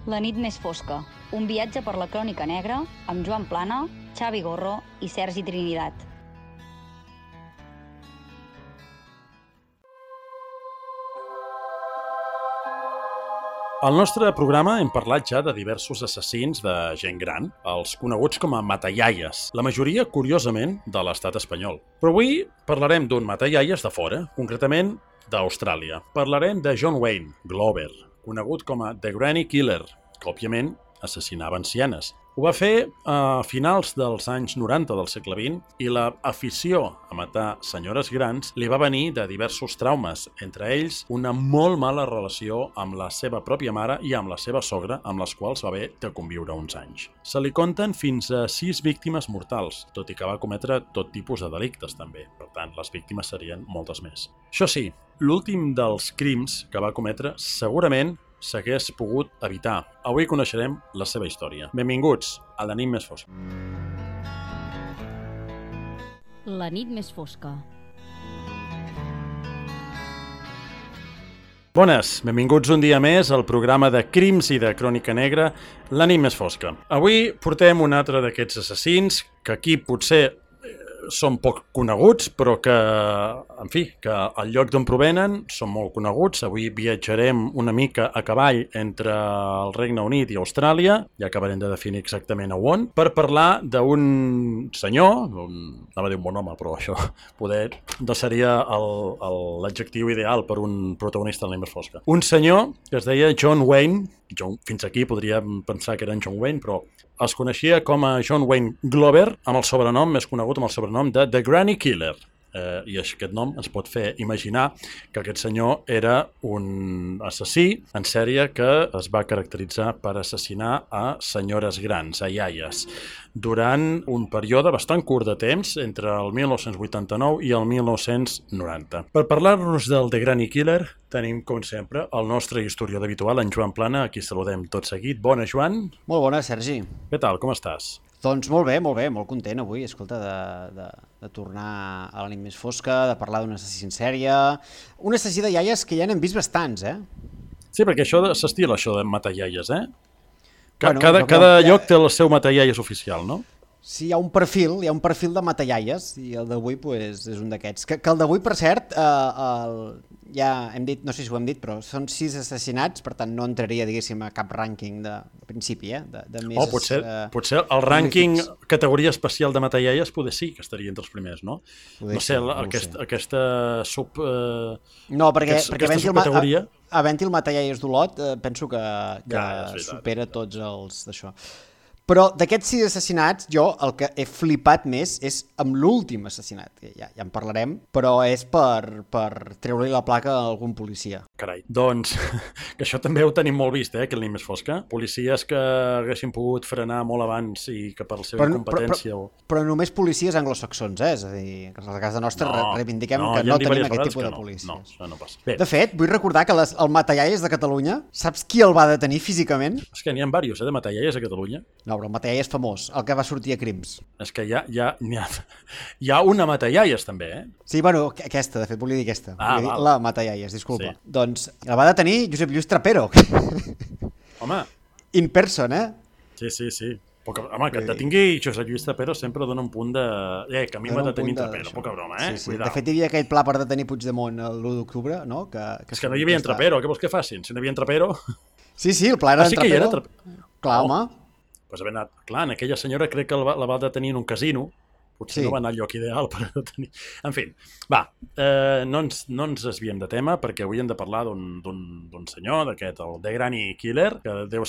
La nit més fosca, un viatge per la crònica negra amb Joan Plana, Xavi Gorro i Sergi Trinidad. Al nostre programa hem parlat ja de diversos assassins de gent gran, els coneguts com a matallaies, la majoria, curiosament, de l'estat espanyol. Però avui parlarem d'un matallaies de fora, concretament d'Austràlia. Parlarem de John Wayne Glover, conegut com a The Granny Killer, que, òbviament, assassinava ancianes. Ho va fer a finals dels anys 90 del segle XX i l'afició a matar senyores grans li va venir de diversos traumes, entre ells una molt mala relació amb la seva pròpia mare i amb la seva sogra, amb les quals va haver de conviure uns anys. Se li compten fins a 6 víctimes mortals, tot i que va cometre tot tipus de delictes també. Per tant, les víctimes serien moltes més. Això sí, l'últim dels crims que va cometre segurament s'hagués pogut evitar. Avui coneixerem la seva història. Benvinguts a La nit més fosca. La nit més fosca. Bones, benvinguts un dia més al programa de crims i de crònica negra, La nit més fosca. Avui portem un altre d'aquests assassins que aquí potser són poc coneguts, però que, en fi, que al lloc d'on provenen són molt coneguts. Avui viatjarem una mica a cavall entre el Regne Unit i Austràlia, ja acabarem de definir exactament a on, per parlar d'un senyor, anava a dir un bon home, però això poder no seria l'adjectiu ideal per un protagonista de la més fosca. Un senyor que es deia John Wayne, fins aquí podríem pensar que era en John Wayne, però es coneixia com a John Wayne Glover, amb el sobrenom més conegut amb el sobrenom de The Granny Killer. I aquest nom ens pot fer imaginar que aquest senyor era un assassí en sèrie que es va caracteritzar per assassinar a senyores grans, a iaies, durant un període bastant curt de temps, entre el 1989 i el 1990. Per parlar-nos del The Granny Killer, tenim, com sempre, el nostre historiador habitual, en Joan Plana, a qui saludem tot seguit. Bona, Joan. Molt bona, Sergi. Què tal, com estàs? Doncs molt bé, molt content avui, escolta, de tornar a la nit més fosca, de parlar d'un assassí en sèrie, un assassí de iaies que ja n'hem vist bastants, eh? Sí, perquè això s'estila, això de matar iaies, eh? Bueno, cada lloc té el seu matar iaies oficial, no? Sí, hi ha un perfil de matallaies i el d'avui pues, és un d'aquests. Que el d'avui, per cert, ja hem dit, no sé si ho hem dit, però són 6 assassinats, per tant no entraria, diguéssim, a cap rànquing de principi, de més... Potser el rànquing categoria especial de matallaies poder sí que estaria entre els primers, no? No sé, aquesta sub... No, perquè havent-hi el matallaies d'Olot, penso que supera tots els d'això. Però d'aquests 6 assassinats, jo el que he flipat més és amb l'últim assassinat, que ja en parlarem, però és per treure-li la placa a algun policia. Carai, doncs, que això també ho tenim molt vist, que la nit més fosca. Policies que haguessin pogut frenar molt abans i que per la seva incompetència... Però només policies anglosaxons, és a dir, que a casa nostra reivindiquem que no tenim aquest tipus de policies. No, això no passa. Bé. De fet, vull recordar que el matallaies de Catalunya, saps qui el va detenir físicament? És que n'hi ha diversos, de matallaies a Catalunya. No, però el matallaies famós, el que va sortir a Crims. És que hi ha una matallaies també, eh? Sí, bueno, aquesta, de fet, volia dir aquesta. La matallaies, disculpa. Sí. Doncs el va detenir Josep Lluís Trapero. Home. In person, eh? Sí. Home, que et detingui Josep Lluís Trapero sempre dona un punt de... que a mi m'ha detenir Trapero, poca broma, eh? Sí. De fet, hi havia aquell pla per detenir Puigdemont l'1 d'octubre, no? És que no hi havia Trapero, què vols que facin? Si no hi havia Trapero... Sí, el pla era Trapero. Sí que hi era Trapero. Clar, home. Pues haver anat... Clar, en aquella senyora crec que la va detenir en un casino. Potser no va anar al lloc ideal per detenir... En fi, va, no ens desviem de tema perquè avui hem de parlar d'un senyor, d'aquest, el The Granny Killer, que deu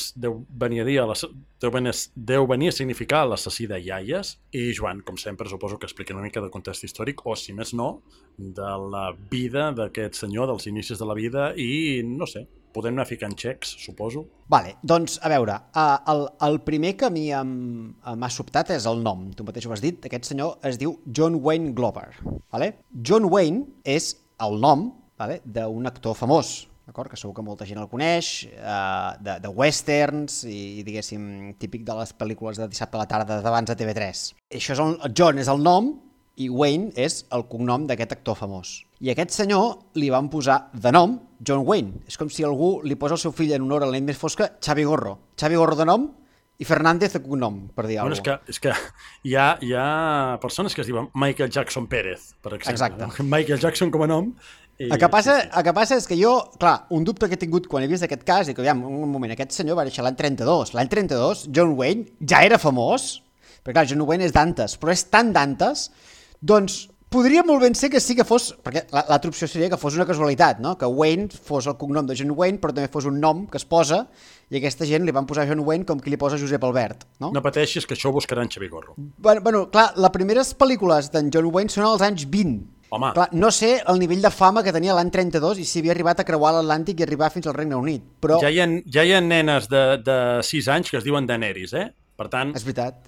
venir a significar l'assassí de iaies. I Joan, com sempre, suposo que explica una mica de context històric, o si més no, de la vida d'aquest senyor, dels inicis de la vida i, no sé, podem anar ficant xecs, suposo. Vale, doncs, a veure, el primer que a mi m'ha sobtat és el nom. Tu mateix ho has dit, aquest senyor es diu John Wayne Glover. Vale? John Wayne és el nom, vale, d'un actor famós, d'acord? Que segur que molta gent el coneix, de westerns i, diguéssim, típic de les pel·lícules de dissabte a la tarda d'abans de TV3. Això és John és el nom i Wayne és el cognom d'aquest actor famós. I aquest senyor li van posar de nom John Wayne. És com si algú li posa el seu fill en honor a la nit més fosca Xavi Gorro. Xavi Gorro de nom i Fernández de cognom, per dir alguna cosa. És que hi ha persones que es diuen Michael Jackson Pérez, per exemple. Exacte. Michael Jackson com a nom. El que passa és que jo, clar, un dubte que he tingut quan he vist aquest cas, i que, aviam, un moment, aquest senyor va néixer l'any 32. L'any 32, John Wayne ja era famós, perquè clar, John Wayne és d'antes, però és tan d'antes, doncs podria molt ben ser que sí que fos, perquè l'altra opció seria que fos una casualitat, no? Que Wayne fos el cognom de John Wayne, però també fos un nom que es posa, i aquesta gent li van posar John Wayne com qui li posa Josep Albert, no? No pateixis, que això ho buscarà en Xavi Gorro. Bueno, clar, les primeres pel·lícules d'en John Wayne són als anys 20. Home. Clar, no sé el nivell de fama que tenia l'any 32 i si havia arribat a creuar l'Atlàntic i arribar fins al Regne Unit, però... Ja hi ha nenes de 6 anys que es diuen Daenerys, eh? Per tant, és veritat.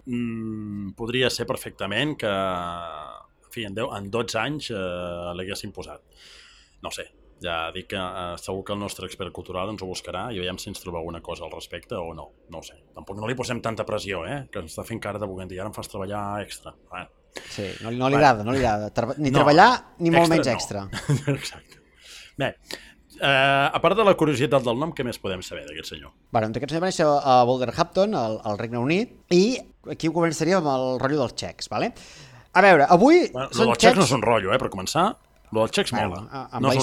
Podria ser perfectament que, en fi, en 12 anys l'haguessin posat. No sé, ja dic que segur que el nostre expert cultural ens ho buscarà i veiem si ens troba alguna cosa al respecte o no. No ho sé. Tampoc no li posem tanta pressió, que ens està fent cara de buguent i ara em fas treballar extra. Sí, no li agrada, ni treballar ni molt menys extra. Exacte. Bé, a part de la curiositat del nom, què més podem saber d'aquest senyor? Bueno, aquest senyor va néixer a Wolverhampton, al Regne Unit, i aquí començaríem amb el rotllo dels xecs, vale? A veure, avui són els xecs no són rotllo, per començar. Lo dels xecs mola. Amb la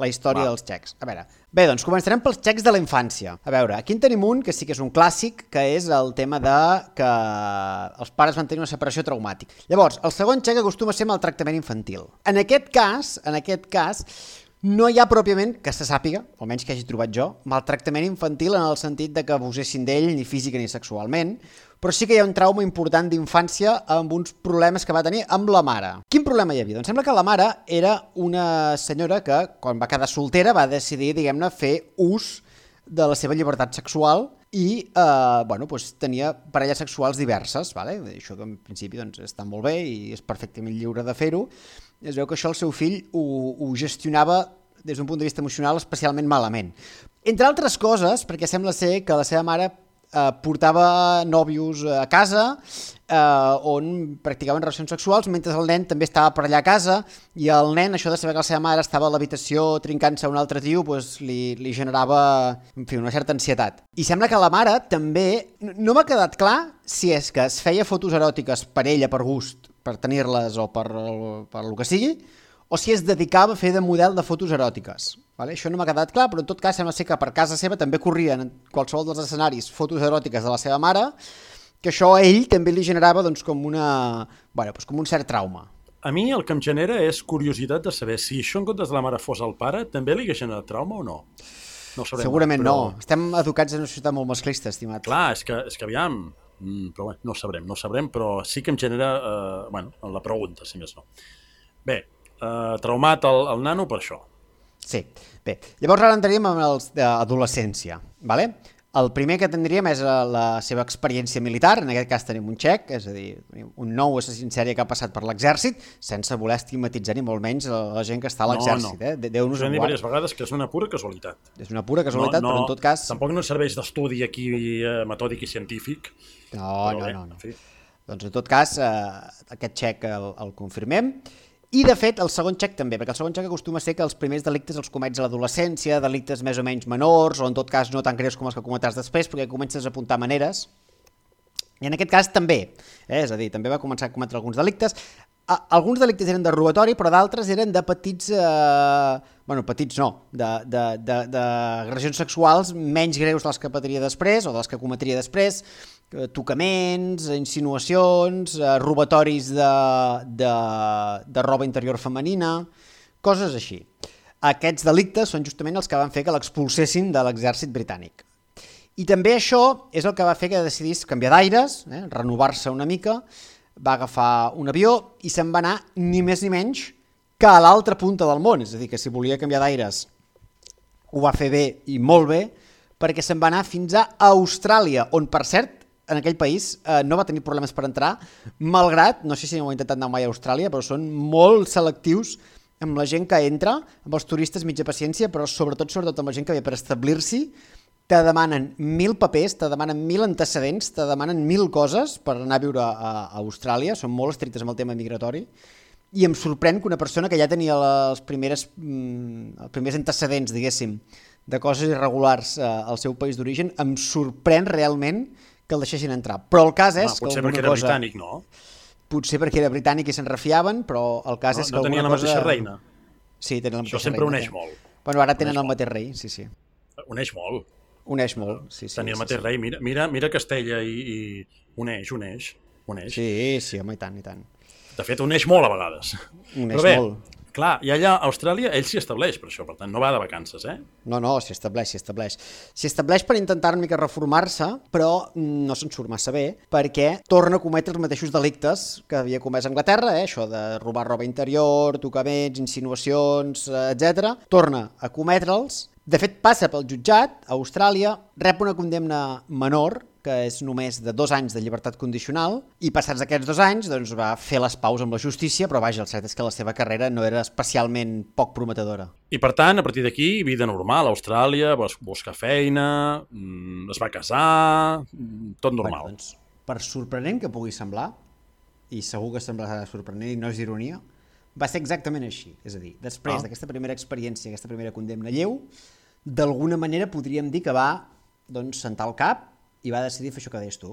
història dels xecs. A veure, bé, doncs començarem pels xecs de la infància. A veure, aquí en tenim un que sí que és un clàssic, que és el tema de que els pares van tenir una separació traumàtica. Llavors, el segon xec acostuma a ser maltractament infantil. En aquest cas, no hi ha pròpiament, que se sàpiga, almenys que hagi trobat jo, maltractament infantil en el sentit de que abusessin d'ell ni física ni sexualment, però sí que hi ha un trauma important d'infància amb uns problemes que va tenir amb la mare. Quin problema hi havia? Doncs sembla que la mare era una senyora que, quan va quedar soltera, va decidir, diguem-ne, fer ús de la seva llibertat sexual i tenia parelles sexuals diverses. Vale? Això que en principi està molt bé i és perfectament lliure de fer-ho. Es veu que això el seu fill ho gestionava des d'un punt de vista emocional especialment malament. Entre altres coses, perquè sembla ser que la seva mare portava nòvios a casa on practicaven relacions sexuals mentre el nen també estava per allà a casa i el nen, això de saber que la seva mare estava a l'habitació trincant-se a un altre tio, li generava, en fi, una certa ansietat. I sembla que la mare també, no m'ha quedat clar si és que es feia fotos eròtiques per ella, per gust, per tenir-les o per el que sigui, o si es dedicava a fer de model de fotos eròtiques. Vale? Això no m'ha quedat clar, però en tot cas sembla ser que per casa seva també corrien en qualsevol dels escenaris fotos eròtiques de la seva mare, que això a ell també li generava com un cert trauma. A mi el que em genera és curiositat de saber si això en comptes de la mare fos el pare, també li hagués generat trauma o no? No ho sabrem. Segurament no. Estem educats en una societat molt masclista, estimat. Clar, és que aviam, però bé, no ho sabrem, però sí que em genera la pregunta, si més no. Bé, traumat el nano per això. Sí, bé. Llavors ara entraríem amb els d'adolescència, vale? El primer que tindríem és la seva experiència militar, en aquest cas tenim un txec, és a dir, un nou assassí en sèrie que ha passat per l'exèrcit, sense voler estigmatitzar ni molt menys la gent que està a l'exèrcit. No. Déu-nos en guard. Diverses vegades que és una pura casualitat. És una pura casualitat, però en tot cas... Tampoc no serveix d'estudi aquí metòdic i científic. No. Doncs en tot cas, aquest txec el confirmem. I, de fet, el segon txec també, perquè el segon txec acostuma a ser que els primers delictes els comets a l'adolescència, delictes més o menys menors, o en tot cas no tan greus com els que cometràs després, perquè comences a apuntar maneres. I en aquest cas també, és a dir, també va començar a cometre alguns delictes. Alguns delictes eren de robatori, però d'altres eren de petits... d'agressions sexuals menys greus de les que patria després, o de les que cometria després, tocaments, insinuacions, robatoris de roba interior femenina, coses així. Aquests delictes són justament els que van fer que l'expulsessin de l'exèrcit britànic. I també això és el que va fer que decidís canviar d'aires, renovar-se una mica, va agafar un avió i se'n va anar ni més ni menys que a l'altra punta del món. És a dir, que si volia canviar d'aires ho va fer bé i molt bé, perquè se'n va anar fins a Austràlia, on, per cert, en aquell país no va tenir problemes per entrar, malgrat, no sé si ho he intentat anar mai a Austràlia, però són molt selectius amb la gent que entra, amb els turistes mitja paciència, però sobretot amb la gent que ve per establir-s'hi, te demanen 1.000 papers, te demanen 1.000 antecedents, te demanen 1.000 coses per anar a viure a Austràlia, són molt estrictes amb el tema migratori, i em sorprèn que una persona que ja tenia els primers antecedents, diguéssim, de coses irregulars al seu país d'origen, em sorprèn realment que el deixessin entrar. Però el cas és que potser perquè era britànic, no? Potser perquè era britànic i se'n refiaven, però el cas és que no tenia la mateixa reina? Sí, tenen la mateixa reina. Això sempre uneix molt. Bueno, ara tenen el mateix rei, sí. Uneix molt. Uneix molt, sí. Tenir el mateix rei, mira Castella i uneix. Sí, home, i tant. De fet, uneix molt a vegades. Uneix molt. Clar, i allà a Austràlia ell s'hi estableix per això, per tant, no va de vacances, eh? No, s'hi estableix. S'hi estableix per intentar una mica reformar-se, però no se'n surt massa bé, perquè torna a cometre els mateixos delictes que havia comès a Anglaterra, això de robar roba interior, tocaments, insinuacions, etc. Torna a cometre'ls. De fet, passa pel jutjat a Austràlia, rep una condemna menor, que és només de 2 anys de llibertat condicional, i passats aquests 2 anys doncs, va fer les paus amb la justícia, però vaja, el cert és que la seva carrera no era especialment poc prometedora. I per tant, a partir d'aquí, vida normal, a Austràlia, buscar feina, es va casar, tot normal. Bueno, doncs, per sorprenent que pugui semblar, i segur que semblarà sorprenent i no és ironia, va ser exactament així. És a dir, després d'aquesta primera experiència, aquesta primera condemna lleu, d'alguna manera podríem dir que va sentar el cap i va decidir fer això que deies tu.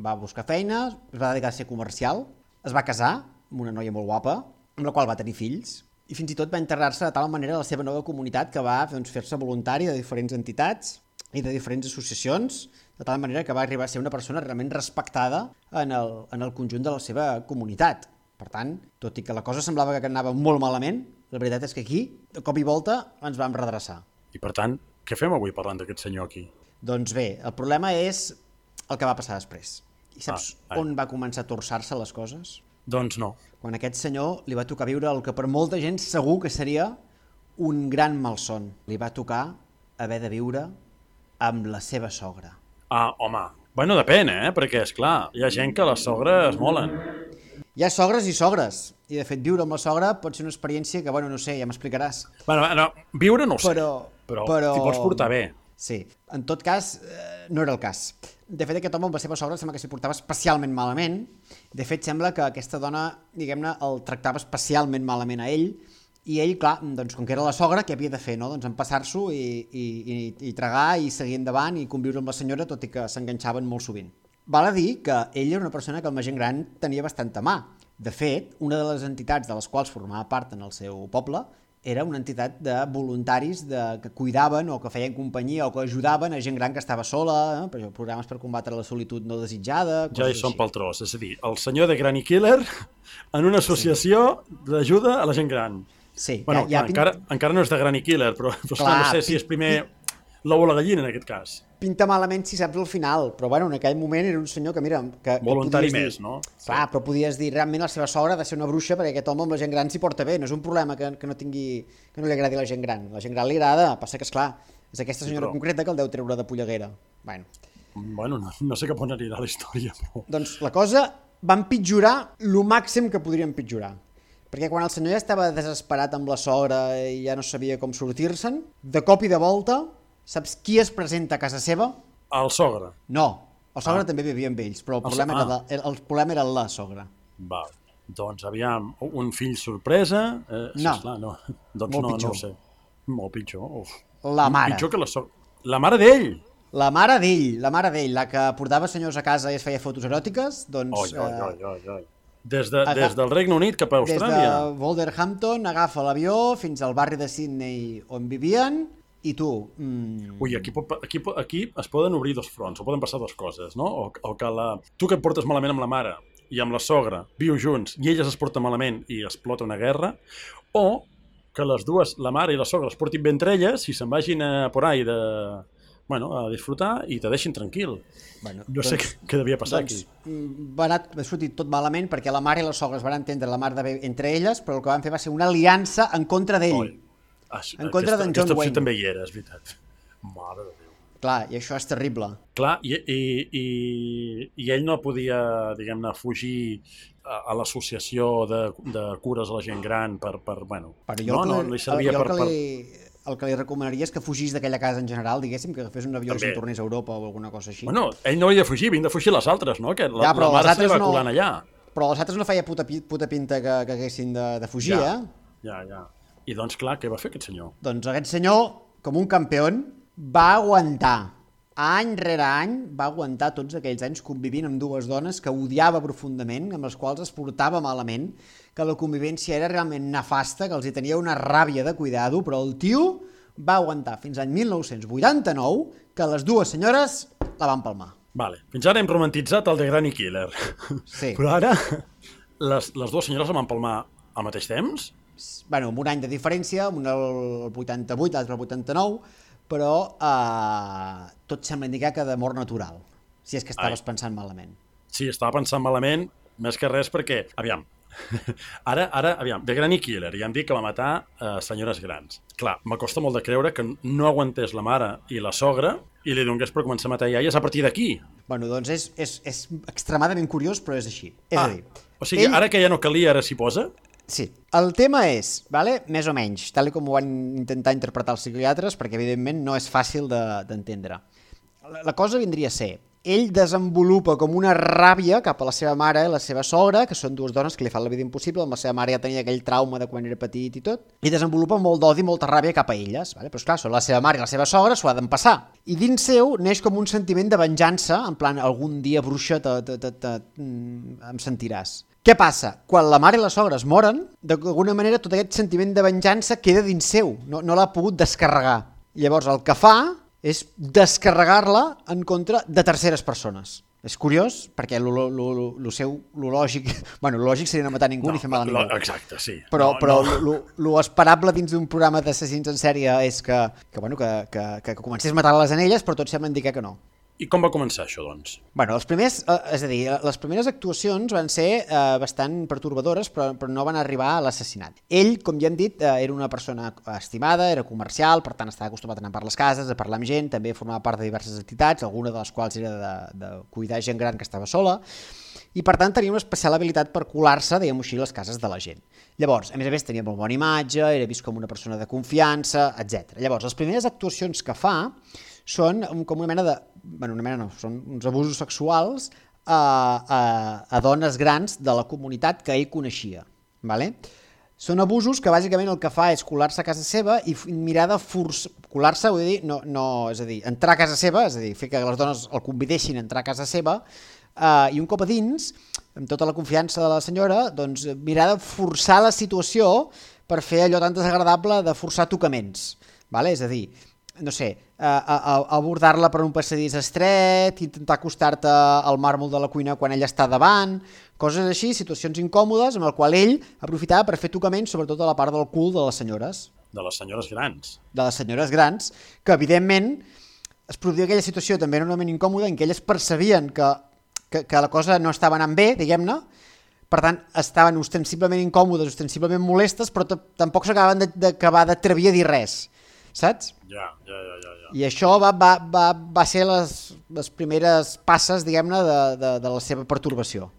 Va buscar feina, es va dedicar a ser comercial, es va casar amb una noia molt guapa, amb la qual va tenir fills, i fins i tot va integrar-se de tal manera a la seva nova comunitat que va fer-se voluntari de diferents entitats i de diferents associacions, de tal manera que va arribar a ser una persona realment respectada en el conjunt de la seva comunitat. Per tant, tot i que la cosa semblava que anava molt malament, la veritat és que aquí, de cop i volta, ens vam redreçar. I per tant, què fem avui parlant d'aquest senyor aquí? Doncs bé, el problema és el que va passar després. I saps on va començar a torçar-se les coses? Doncs no. Quan a aquest senyor li va tocar viure el que per molta gent segur que seria un gran malson. Li va tocar haver de viure amb la seva sogra. Home, bueno, depèn, perquè, esclar, hi ha gent que les sogres molen. Hi ha sogres i sogres, i de fet viure amb la sogra pot ser una experiència que, bueno, no sé, ja m'explicaràs. Bueno, no, viure no ho sé, però t'hi pots portar bé. Sí, en tot cas, no era el cas. De fet, aquest home amb la seva sogra sembla que s'hi portava especialment malament. De fet, sembla que aquesta dona, diguem-ne, el tractava especialment malament a ell, i ell, clar, doncs, com que era la sogra, què havia de fer, no? Doncs empassar-s'ho i tragar i seguir endavant i conviure amb la senyora, tot i que s'enganxaven molt sovint. Val a dir que ell era una persona que amb la gent gran tenia bastanta mà. De fet, una de les entitats de les quals formava part en el seu poble era una entitat de voluntaris que cuidaven o que feien companyia o que ajudaven a gent gran que estava sola, programes per combatre la solitud no desitjada... Ja hi són pel tros, és a dir, el senyor de Granny Killer en una associació d'ajuda a la gent gran. Sí. Bueno, encara no és de Granny Killer, però clar, no sé si és primer l'ou o la gallina en aquest cas. Pinta malament si saps el final, però bueno, en aquell moment era un senyor que, mira... Voluntari més, no? Clar, però podies dir, realment la seva sogra ha de ser una bruixa perquè aquest home amb la gent gran s'hi porta bé, no és un problema que no li agradi a la gent gran. La gent gran li agrada, passa que, esclar, és aquesta senyora concreta que el deu treure de polleguera. Bueno, no sé cap on anirà la història, però... Doncs la cosa va empitjorar el màxim que podria empitjorar. Perquè quan el senyor ja estava desesperat amb la sogra i ja no sabia com sortir-se'n, de cop i de volta, saps qui es presenta a casa seva? El sogre. No, el sogre també vivia amb ells, però el problema era la sogra. Va, doncs aviam, un fill sorpresa... No, esclar, no. Doncs molt pitjor. No ho sé. Molt pitjor. Uf. La mare. Pitjor que la sogra. La mare d'ell! La mare d'ell, la que portava senyors a casa i es feia fotos eròtiques, doncs... Des del Regne Unit cap a Austràlia. Des de Wolverhampton agafa l'avió fins al barri de Sydney on vivien i tu... Ui, aquí es poden obrir dos fronts, o poden passar dues coses, no? O que tu que et portes malament amb la mare i amb la sogra viu junts i elles es porten malament i explota una guerra, o que les dues, la mare i la sogra, es portin bé entre elles i se'n vagin por ahí a disfrutar i te deixin tranquil. No sé què devia passar aquí. Va sortir tot malament perquè la mare i la sogra es van entendre la mar de bé entre elles, però el que van fer va ser una aliança en contra d'ell. En contra d'en John Wayne. Aquesta opció també hi era, és veritat. Mare de Déu. Clar, i això és terrible. Clar, i ell no podia, diguem-ne, fugir a l'associació de cures a la gent gran per li servia el que li recomanaria és que fugís d'aquella casa en general, diguéssim, que agafés un avió i se'n tornés a Europa o alguna cosa així. Bueno, ell no havia de fugir, havien de fugir les altres, no? Que la mare seva va colant allà. Però les altres no feia puta pinta que haguessin de fugir, Ja. I doncs, clar, què va fer aquest senyor? Doncs aquest senyor, com un campió, va aguantar. Any rere any va aguantar tots aquells anys convivint amb dues dones que odiava profundament, amb les quals es portava malament, que la convivència era realment nefasta, que els hi tenia una ràbia de cuidado, però el tio va aguantar fins l'any 1989 que les dues senyores la van palmar. Vale. Fins ara hem romantitzat el de Granny Killer. Sí. Però ara les dues senyores la van palmar al mateix temps? Bueno, amb un any de diferència, un el 88, l'altre el 89, però tot sembla indicar que de mort natural, si és que estaves pensant malament. Sí, estava pensant malament, més que res perquè, aviam, de Granny Killer, ja han dit que va matar senyores grans. Clar, m'acosta molt de creure que no aguantés la mare i la sogra i li donés per començar a matar iaies a partir d'aquí. Bueno, doncs és extremadament curiós, però és així. És a dir, o sigui, ara que ja no calia, ara s'hi posa? Sí. El tema és, més o menys, tal com ho van intentar interpretar els psiquiatres, perquè evidentment no és fàcil d'entendre. La cosa vindria a ser, ell desenvolupa com una ràbia cap a la seva mare i la seva sogra, que són dues dones que li fan la vida impossible, amb la seva mare ja tenia aquell trauma de quan era petit i tot, i desenvolupa molt d'odi i molta ràbia cap a elles, però esclar, són la seva mare i la seva sogra, s'ho ha d'empassar. I dins seu neix com un sentiment de venjança, en plan, algun dia bruixa em sentiràs. Què passa? Quan la mare i la sogra es moren, d'alguna manera tot aquest sentiment de venjança queda dins seu, no l'ha pogut descarregar. Llavors el que fa és descarregar-la en contra de terceres persones. És curiós, perquè lo lògic... Bueno, lo lògic seria no matar ningú ni fer mal a ningú. Exacte, sí. Però lo esperable dins d'un programa d'assassins en sèrie és que comencés a matar-les en elles, però tot sembla indicar que no. I com va començar això, doncs? Bueno, les primeres actuacions van ser bastant pertorbadores, però no van arribar a l'assassinat. Ell, com ja hem dit, era una persona estimada, era comercial, per tant estava acostumat a anar per les cases, a parlar amb gent, també formava part de diverses entitats, alguna de les quals era de cuidar gent gran que estava sola, i per tant tenia una especial habilitat per colar-se, diguem-ho així, a les cases de la gent. Llavors, a més, tenia molt bona imatge, era vist com una persona de confiança, etc. Llavors, les primeres actuacions que fa són com una mena de... Bueno, una mena no, són uns abusos sexuals a dones grans de la comunitat que ell coneixia. Vale? Són abusos que bàsicament el que fa és colar-se a casa seva i mirar de colar-se, vull dir, és a dir, entrar a casa seva, és a dir, fer que les dones el convidessin a entrar a casa seva i un cop a dins, amb tota la confiança de la senyora, doncs mirar de forçar la situació per fer allò tan desagradable de forçar tocaments. Vale? És a dir, no sé, abordar-la per un passadís estret, intentar acostar-te al màrmol de la cuina quan ella està davant, coses així, situacions incòmodes amb el qual ell aprofitava per fer tocaments sobretot a la part del cul de les senyores. De les senyores grans. De les senyores grans, que evidentment es produïa aquella situació també enormement incòmoda en què elles percebien que la cosa no estava anant bé, diguem-ne, per tant estaven ostensiblement incòmodes, ostensiblement molestes, però tampoc s'acabaven d'acabar d'atrevir a dir res. Saps? Ja. I això va ser les primeres passes, diguem-ne, de la seva pertorbació.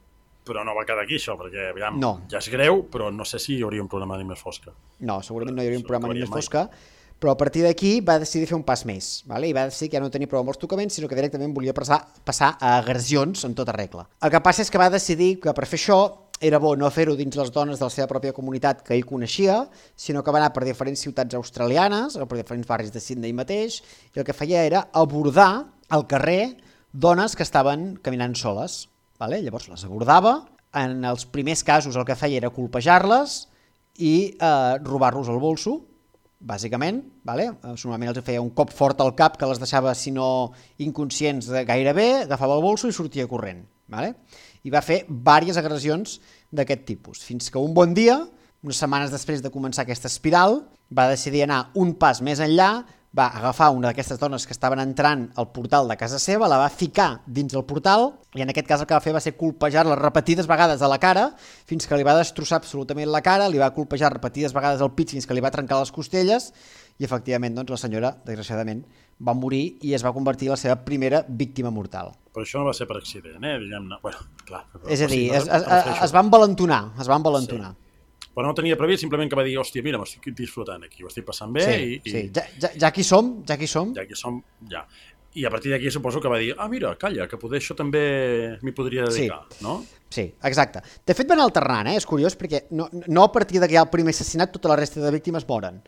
Però no va quedar aquí, això, perquè, aviam, no. Ja és greu, però no sé si hi hauria un programa d'Animés Fosca. No, segurament no hi hauria un programa d'Animés Fosca, però a partir d'aquí va decidir fer un pas més, vale? I va decidir que ja no tenia prou amb els tocaments, sinó que directament volia passar a agressions en tota regla. El que passa és que va decidir que per fer això era bo no fer-ho dins les dones de la seva pròpia comunitat que ell coneixia, sinó que va anar per diferents ciutats australianes o per diferents barris de Sydney mateix, i el que feia era abordar al carrer dones que estaven caminant soles. Vale? Llavors les abordava, en els primers casos el que feia era colpejar-les i robar-los el bolso, bàsicament, vale? Normalment els feia un cop fort al cap que les deixava, si no inconscients gairebé, agafava el bolso i sortia corrent. Vale? I va fer diverses agressions d'aquest tipus, fins que un bon dia, unes setmanes després de començar aquesta espiral, va decidir anar un pas més enllà, va agafar una d'aquestes dones que estaven entrant al portal de casa seva, la va ficar dins el portal, i en aquest cas el que va fer va ser colpejar-la repetides vegades a la cara, fins que li va destrossar absolutament la cara, li va colpejar repetides vegades al pit fins que li va trencar les costelles, i efectivament doncs, la senyora, desgraciadament, va morir i es va convertir en la seva primera víctima mortal. Però això no va ser per accident, diguem-ne. Bueno, clar. És a dir, es va envalentonar, Sí. Però no tenia previst, simplement que va dir, hòstia, mira, m'estic disfrutant aquí, ho estic passant bé. Sí. Ja que hi som. Ja. I a partir d'aquí suposo que va dir, mira, calla, que poder això també m'hi podria dedicar, no? Sí, exacte. De fet van alternant, és curiós, perquè no a partir que hi ha el primer assassinat tota la resta de víctimes moren.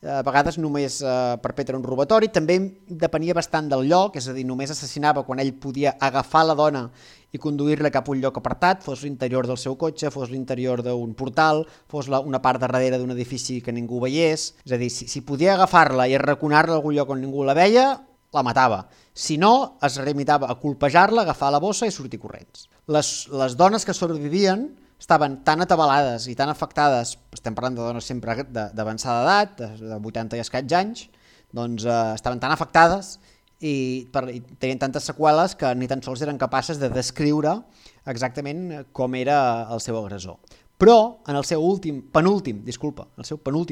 A vegades només perpetra un robatori, també depenia bastant del lloc, és a dir, només assassinava quan ell podia agafar la dona i conduir-la cap a un lloc apartat, fos l'interior del seu cotxe, fos l'interior d'un portal, fos una part de darrere d'un edifici que ningú veiés. És a dir, si podia agafar-la i arraconar-la a algun lloc on ningú la veia, la matava. Si no, es limitava a colpejar-la, agafar la bossa i sortir corrents. Les dones que sobrevivien estaven tan atabalades i tan afectades, estem parlant de dones sempre d'avançada edat, de 80 i escaig anys, doncs estaven tan afectades i tenien tantes seqüeles que ni tan sols eren capaces de descriure exactament com era el seu agressor. Però en el seu penúltim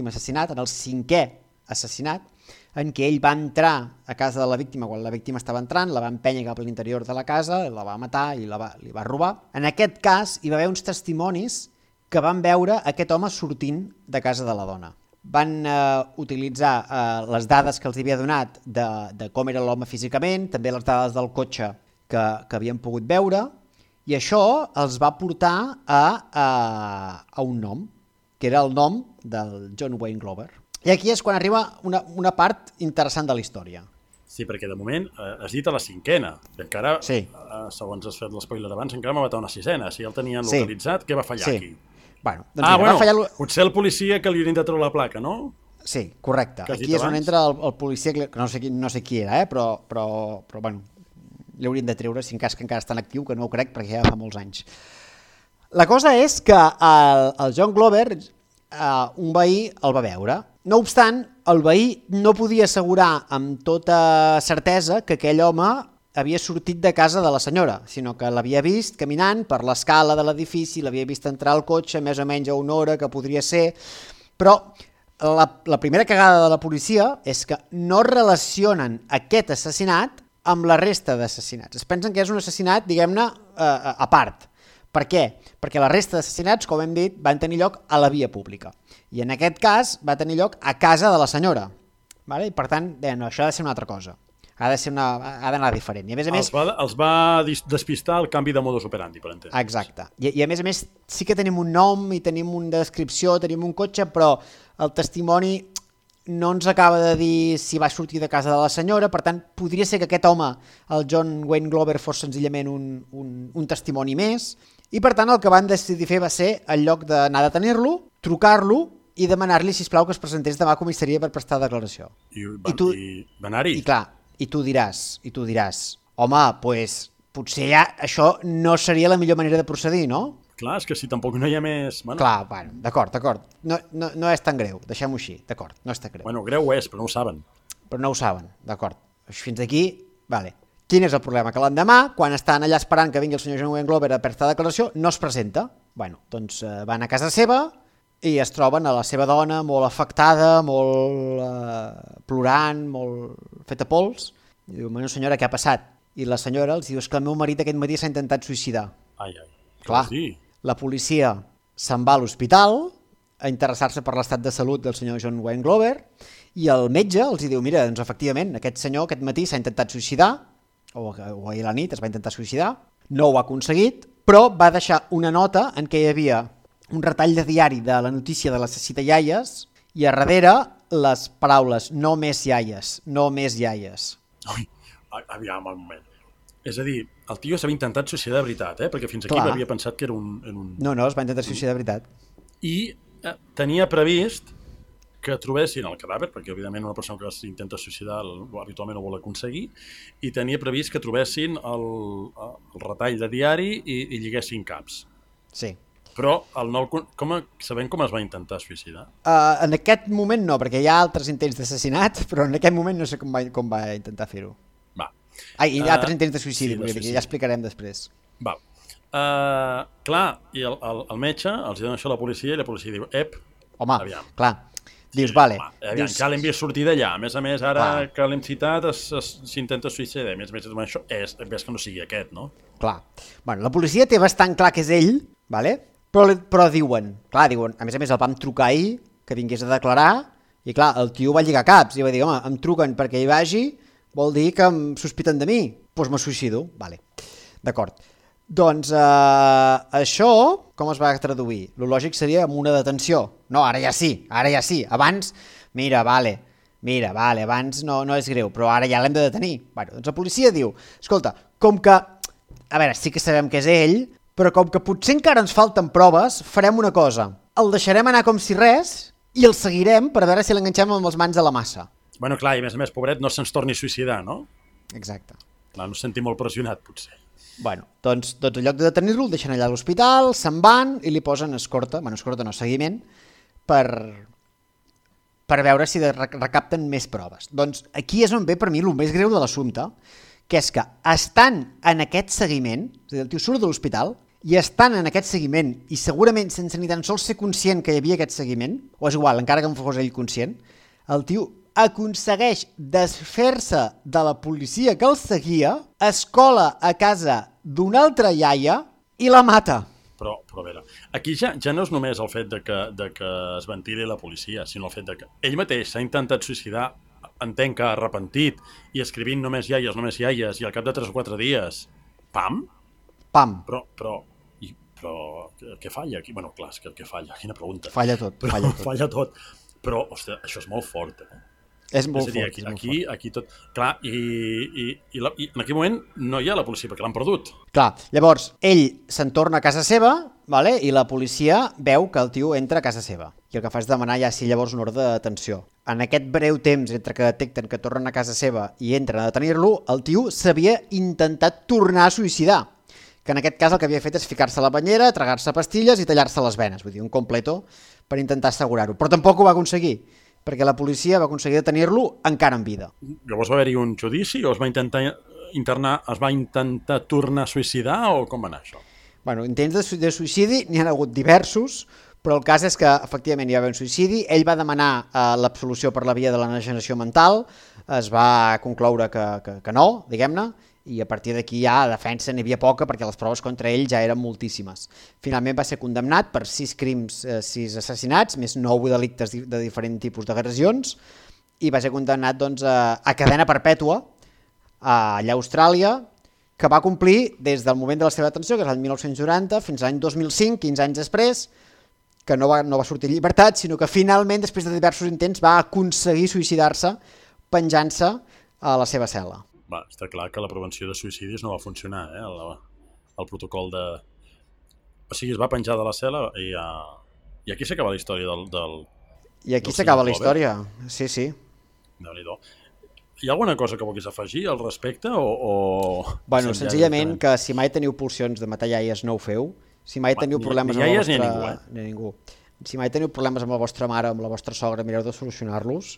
assassinat, en el 5è assassinat, en què ell va entrar a casa de la víctima quan la víctima estava entrant, la va empènyer cap a l'interior de la casa, la va matar i li va robar. En aquest cas hi va haver uns testimonis que van veure aquest home sortint de casa de la dona. Van utilitzar les dades que els havia donat de com era l'home físicament, també les dades del cotxe que havien pogut veure, i això els va portar a un nom, que era el nom del John Wayne Glover. I aquí és quan arriba una part interessant de la història. Sí, perquè de moment has dit a la 5ena, i encara, segons has fet l'espoiler abans, encara m'ha matat una 6ena. Si ja el tenien localitzat, què va fallar aquí? Bueno, doncs va fallar... potser el policia que li hauria de treure la placa, no? Sí, correcte. Aquí és on entra el policia, que no sé qui era, però bueno, li haurien de treure, si en cas que encara està en actiu, que no ho crec, perquè ja fa molts anys. La cosa és que el John Glover, un veí el va veure. No obstant, el veí no podia assegurar amb tota certesa que aquell home havia sortit de casa de la senyora, sinó que l'havia vist caminant per l'escala de l'edifici, l'havia vist entrar al cotxe més o menys a una hora, que podria ser, però la primera cagada de la policia és que no relacionen aquest assassinat amb la resta d'assassinats. Es pensen que és un assassinat, diguem-ne, a part. Per què? Perquè la resta d'assassinats, com hem dit, van tenir lloc a la via pública. I en aquest cas va tenir lloc a casa de la senyora. I per tant, no, això ha de ser una altra cosa. Ha d'anar diferent. I a més, els va despistar el canvi de modus operandi, per entendre. Exacte. I a més, sí que tenim un nom i tenim una descripció, tenim un cotxe, però el testimoni no ens acaba de dir si va sortir de casa de la senyora, per tant, podria ser que aquest home, el John Wayne Glover, fos senzillament un testimoni més, i per tant el que van decidir fer va ser, en lloc d'anar a detenir-lo, trucar-lo i demanar-li, sisplau, que es presentés demà a comissaria per prestar declaració. I va anar-hi? I clar, i tu diràs, home, doncs potser ja això no seria la millor manera de procedir, no? Clar, és que si tampoc no hi ha més... Bueno. Clar, bueno, d'acord. No és tan greu, deixem-ho així, d'acord, no és tan greu. Bueno, greu és, però no ho saben. Però no ho saben, d'acord. Fins aquí, vale. Quin és el problema? Que l'endemà, quan estan allà esperant que vingui el senyor John Wayne Glover a prestar declaració, no es presenta. Bueno, doncs van a casa seva i es troben a la seva dona molt afectada, molt plorant, molt feta pols. I diu, bueno, senyora, què ha passat? I la senyora els diu, és que el meu marit aquest matí s'ha intentat suïcidar. Ai. Clar, la policia se'n va a l'hospital a interessar-se per l'estat de salut del senyor John Wayne Glover i el metge els diu, mira, doncs efectivament, aquest senyor aquest matí s'ha intentat suïcidar, o ahir a la nit es va intentar suïcidar, no ho ha aconseguit, però va deixar una nota en què hi havia un retall de diari de la notícia de l'assassí de iaies i a darrere les paraules no més iaies, no més iaies. Ui, aviam un moment. És a dir, el tio s'havia intentat suïcidar de veritat, perquè fins aquí m'havia pensat que era un... No, es va intentar suïcidar de veritat. I tenia previst que trobessin el cadàver, perquè evidentment una persona que s'intenta suïcidar habitualment ho vol aconseguir, i tenia previst que trobessin el retall de diari i lliguessin caps. Sí. Però sabem com es va intentar suïcidar? En aquest moment no, perquè hi ha altres intents d'assassinat, però en aquest moment no sé com va intentar fer-ho. I altres intents de suïcidi, que ja explicarem després. Val. Clar, i el metge els dona això a la policia i la policia diu, home, aviam. Clar, dius, vale. Aviam, ja l'hem vist sortir d'allà. A més, ara que l'hem citat s'intenta suïcidar. A més, això és que no sigui aquest, no? Clar. Bueno, la policia té bastant clar que és ell, vale? Però diuen, a més el vam trucar ahir, que vingués a declarar, i clar, el tio va lligar caps, i va dir, home, em truquen perquè hi vagi, vol dir que em sospiten de mi, doncs me suïcido, vale, d'acord. Doncs això, com es va traduir? Lo lògic seria amb una detenció. No, ara ja sí, abans, abans no és greu, però ara ja l'hem de detenir. Bueno, doncs la policia diu, escolta, com que, a veure, sí que sabem que és ell, però com que potser encara ens falten proves, farem una cosa, el deixarem anar com si res i el seguirem per veure si l'enganxem amb les mans a la massa. Bueno, clar, i a més, pobret, no se'ns torni a suïcidar, no? Exacte. Clar, no es senti molt pressionat, potser. Bueno, doncs en lloc de detenir-lo, el deixen allà a l'hospital, se'n van i li posen escorta no, seguiment, per veure si recapten més proves. Doncs aquí és on ve per mi el més greu de l'assumpte, que és que estan en aquest seguiment, és a dir, el tio surt de l'hospital, i estan en aquest seguiment, i segurament sense ni tan sols ser conscient que hi havia aquest seguiment, o és igual, encara que no fos ell conscient, el tio aconsegueix desfer-se de la policia que el seguia, es cola a casa d'una altra iaia i la mata. Però a veure, aquí ja no és només el fet de que es ventili la policia, sinó el fet de que ell mateix s'ha intentat suïcidar, entenc que arrepentit, i escrivint només iaies, i al cap de 3 o 4 dies, pam? Però què falla aquí? Bueno, clar, és que què falla? Quina pregunta. Falla tot. Però, ostres, això és molt fort, És molt fort. Aquí tot... Clar, i en aquell moment no hi ha la policia, perquè l'han perdut. Clar, llavors, ell se'n torna a casa seva, vale? I la policia veu que el tio entra a casa seva. I el que fa és demanar ja sí llavors una ordre de detenció. En aquest breu temps entre que detecten que tornen a casa seva i entren a detenir-lo, el tio s'havia intentat tornar a suïcidar. Que en aquest cas el que havia fet és ficar-se a la banyera, tragar-se pastilles i tallar-se les venes. Vull dir, un completo per intentar assegurar-ho. Però tampoc ho va aconseguir, perquè la policia va aconseguir detenir-lo encara en vida. Llavors va haver-hi un judici o es va intentar internar, es va intentar tornar a suïcidar o com va anar això? Bueno, intents de suïcidi n'hi ha hagut diversos, però el cas és que efectivament hi va haver un suïcidi, ell va demanar l'absolució per la via de l'enajenació mental, es va concloure que no, diguem-ne, i a partir d'aquí ja a defensa n'hi havia poca perquè les proves contra ell ja eren moltíssimes. Finalment va ser condemnat per 6 crims, 6 assassinats, més 9 delictes de diferents tipus d'agressions, i va ser condemnat doncs, a cadena perpètua allà a Austràlia, que va complir des del moment de la seva detenció, que és l'any 1990, fins a l'any 2005, 15 anys després, que no va sortir en llibertat, sinó que finalment, després de diversos intents, va aconseguir suïcidar-se penjant-se a la seva cel·la. Va, està clar que la prevenció de suïcidis no va funcionar, el protocol de... O sigui, es va penjar de la cel·la i aquí s'acaba la història del... I aquí s'acaba la història, sí. Déu-n'hi-do. Hi ha alguna cosa que vulguis afegir al respecte o... Bueno, senzillament que si mai teniu pulsions de matar iaies no ho feu, si mai teniu problemes amb la vostra... Ni ningú. Si mai teniu problemes amb la vostra mare, amb la vostra sogra, mireu de solucionar-los,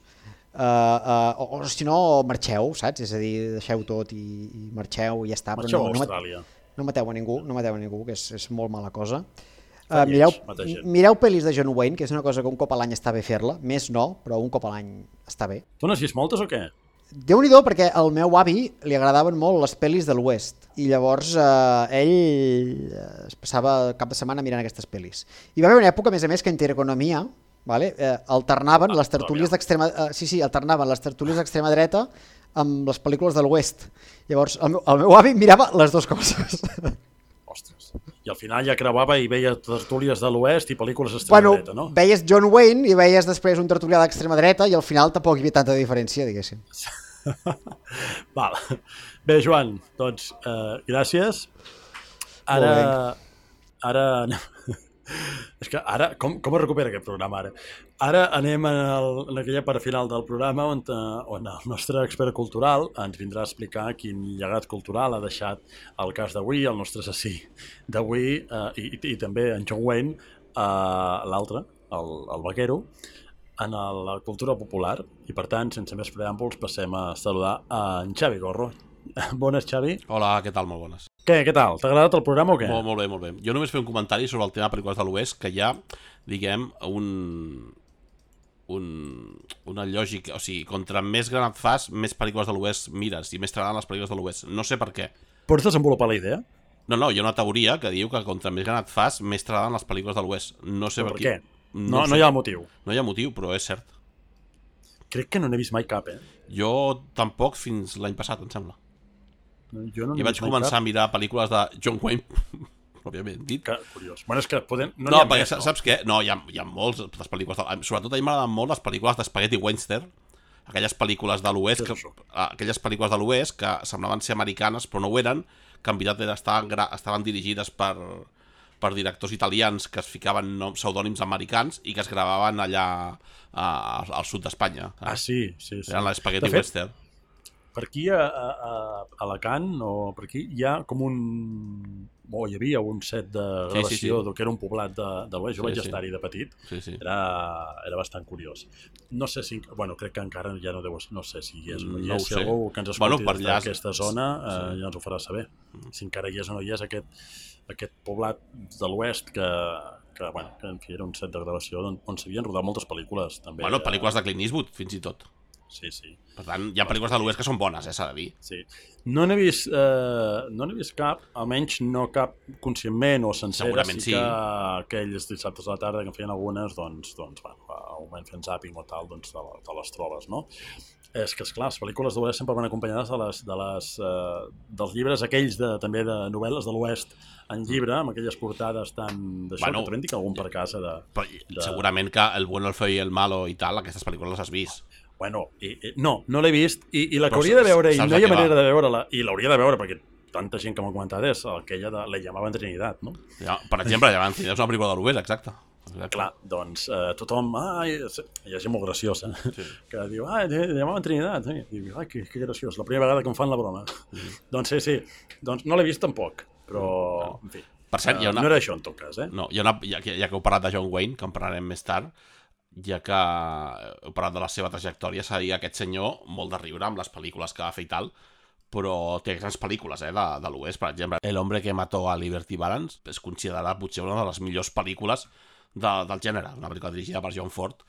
o si no, marxeu, saps? És a dir, deixeu tot i marxeu i ja està. Marxeu a Austràlia. No mateu a ningú, que és molt mala cosa. Mireu pel·lis de John Wayne, que és una cosa que un cop a l'any està bé fer-la, més no, però un cop a l'any està bé. Tu n'has vist moltes o què? Déu-n'hi-do, perquè al meu avi li agradaven molt les pel·lis de l'Oest i llavors ell es passava cap de setmana mirant aquestes pel·lis. I va haver una època, a més, que Intereconomia alternaven les tertúlies d'extrema... alternaven les tertúlies d'extrema dreta amb les pel·lícules de l'Oest. Llavors, el meu avi mirava les dues coses. Ostres. I al final ja creuava i veia tertúlies de l'Oest i pel·lícules d'extrema dreta, no? Veies John Wayne i veies després un tertulià d'extrema dreta i al final tampoc hi havia tanta diferència, diguéssim. Val. Bé, Joan, doncs, gràcies. Ara... És que ara, com es recupera aquest programa ara? Ara anem en aquella part final del programa on el nostre expert cultural ens vindrà a explicar quin llegat cultural ha deixat el cas d'avui, el nostre assassí d'avui, i també en John Wayne, l'altre, el vaquero, en la cultura popular. I per tant, sense més preàmbuls, passem a saludar en Xavi Gorro. Bones, Xavi. Hola, què tal? Molt bones. Què tal? T'ha agradat el programa o què? Molt bé. Jo només fer un comentari sobre el tema pel·lícules de l'Oest, que hi ha, diguem, una lògica, o sigui, contra més gran et fas, més pel·lícules de l'Oest mires i més t'agraden les pel·lícules de l'Oest. No sé per què. Pots desenvolupar la idea? No, hi ha una teoria que diu que contra més gran et fas, més t'agraden les pel·lícules de l'Oest. No sé per què. No hi ha motiu. No hi ha motiu, però és cert. Crec que no n'he vist mai cap, Jo tampoc fins l'any passat, em sembla. Jo no I vaig començar a mirar pel·lícules de John Wayne, òbviament dit. Que curiós. Bueno, és que no perquè més, saps què? No, hi ha molts les pel·lícules sobretot a mi m'agraden molt les pel·lícules d'Spaghetti Western, aquelles pel·lícules de l'Oest que semblaven ser americanes però no ho eren, que en veritat estaven dirigides per directors italians que es ficaven pseudònims americans i que es gravaven allà al sud d'Espanya. Sí. Eren l'Spaghetti Western. Per aquí a Alacant o per aquí hi ha com hi havia un set de gravació que era un poblat de l'Oest. Jo vaig estar-hi de petit. Era bastant curiós. No sé si... crec que encara ja no deu... No sé si hi és o no hi és. Si algú que ens escolti d'aquesta zona ja ens ho farà saber. Si encara hi és o no hi és aquest poblat de l'Oest que en fi, era un set de gravació on s'havien rodat moltes pel·lícules. També. Pel·lícules de Clint Eastwood, fins i tot. Sí. Per tant, hi ha pel·lícules de l'Oest que són bones, s'ha de dir. Sí. No n'he vist cap, almenys no cap conscientment o sencera. Segurament sí. Que aquells dissabtes a la tarda que en feien algunes, al moment fent zàping o tal, te les trobes, no? És que, esclar, les pel·lícules de l'Oest sempre van acompanyades dels llibres aquells també de novel·les de l'Oest en llibre, amb aquelles portades tan d'això, que t'ho dic algun per casa segurament que El bueno, el feo i el malo i tal, aquestes pel·lícules les has vist. No l'he vist i la que hauria de veure i no hi ha manera de veure-la i l'hauria de veure perquè tanta gent que m'ha comentat és aquella de La llamaven Trinidad, no? Per exemple, La llamaven Trinidad és una pel·lícula de l'Oest, exacte. Clar, doncs tothom, hi ha gent molt graciosa que diu, La llamaven Trinidad, diu, que graciós, la primera vegada que em fan la broma. Doncs sí, doncs no l'he vist tampoc, però en fi, per cert, no era això en tot cas, No, ja que heu parlat de John Wayne, que en parlarem més tard, ja que heu parlat de la seva trajectòria, s'ha de dir que aquest senyor, molt de riure amb les pel·lícules que va fer i tal, però té grans pel·lícules de l'Oest, per exemple. El hombre que mató a Liberty Balance és considerada potser una de les millors pel·lícules del gènere, una pel·lícula dirigida per John Ford,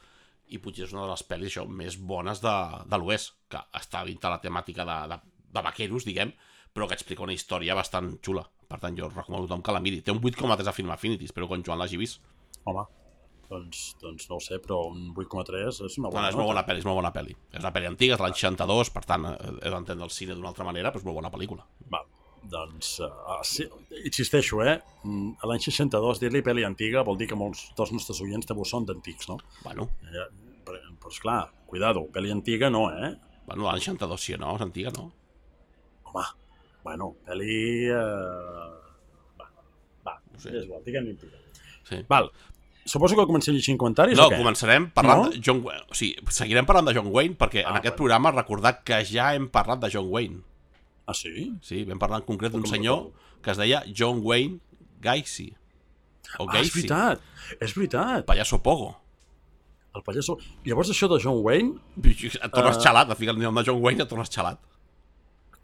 i potser és una de les pel·lis més bones de l'Oest, que està dintre la temàtica de vaqueros, diguem, però que explica una història bastant xula. Per tant, jo recomano a tothom que la miri. Té un 8,3 a Film Affinity, espero que en Joan l'hagi vist. Home, doncs no ho sé, però un 8,3 és una bona és molt bona pel·li. És una pel·li antiga, és de l'any 62, per tant, he d'entendre el cine d'una altra manera, però és molt bona pel·lícula. Doncs, insisteixo, a l'any 62 dir-li pel·li antiga vol dir que molts dels nostres oients també són d'antics, no? Però esclar, cuidado, pel·li antiga no, l'any 62 sí, no? És antiga, no? Home, pel·li... no sé, és igual, diguem-li antiga. Sí. Val, suposo que comencem llegint comentaris o què? No, començarem parlant de John Wayne. O sigui, seguirem parlant de John Wayne perquè en aquest programa recordar que ja hem parlat de John Wayne. Ah, sí? Sí, vam parlar en concret d'un senyor que es deia John Wayne Gacy. És veritat. Pallasso Pogo. El pallasso... Llavors això de John Wayne... Et tornes xalat, et fiques el nom de John Wayne i et tornes xalat.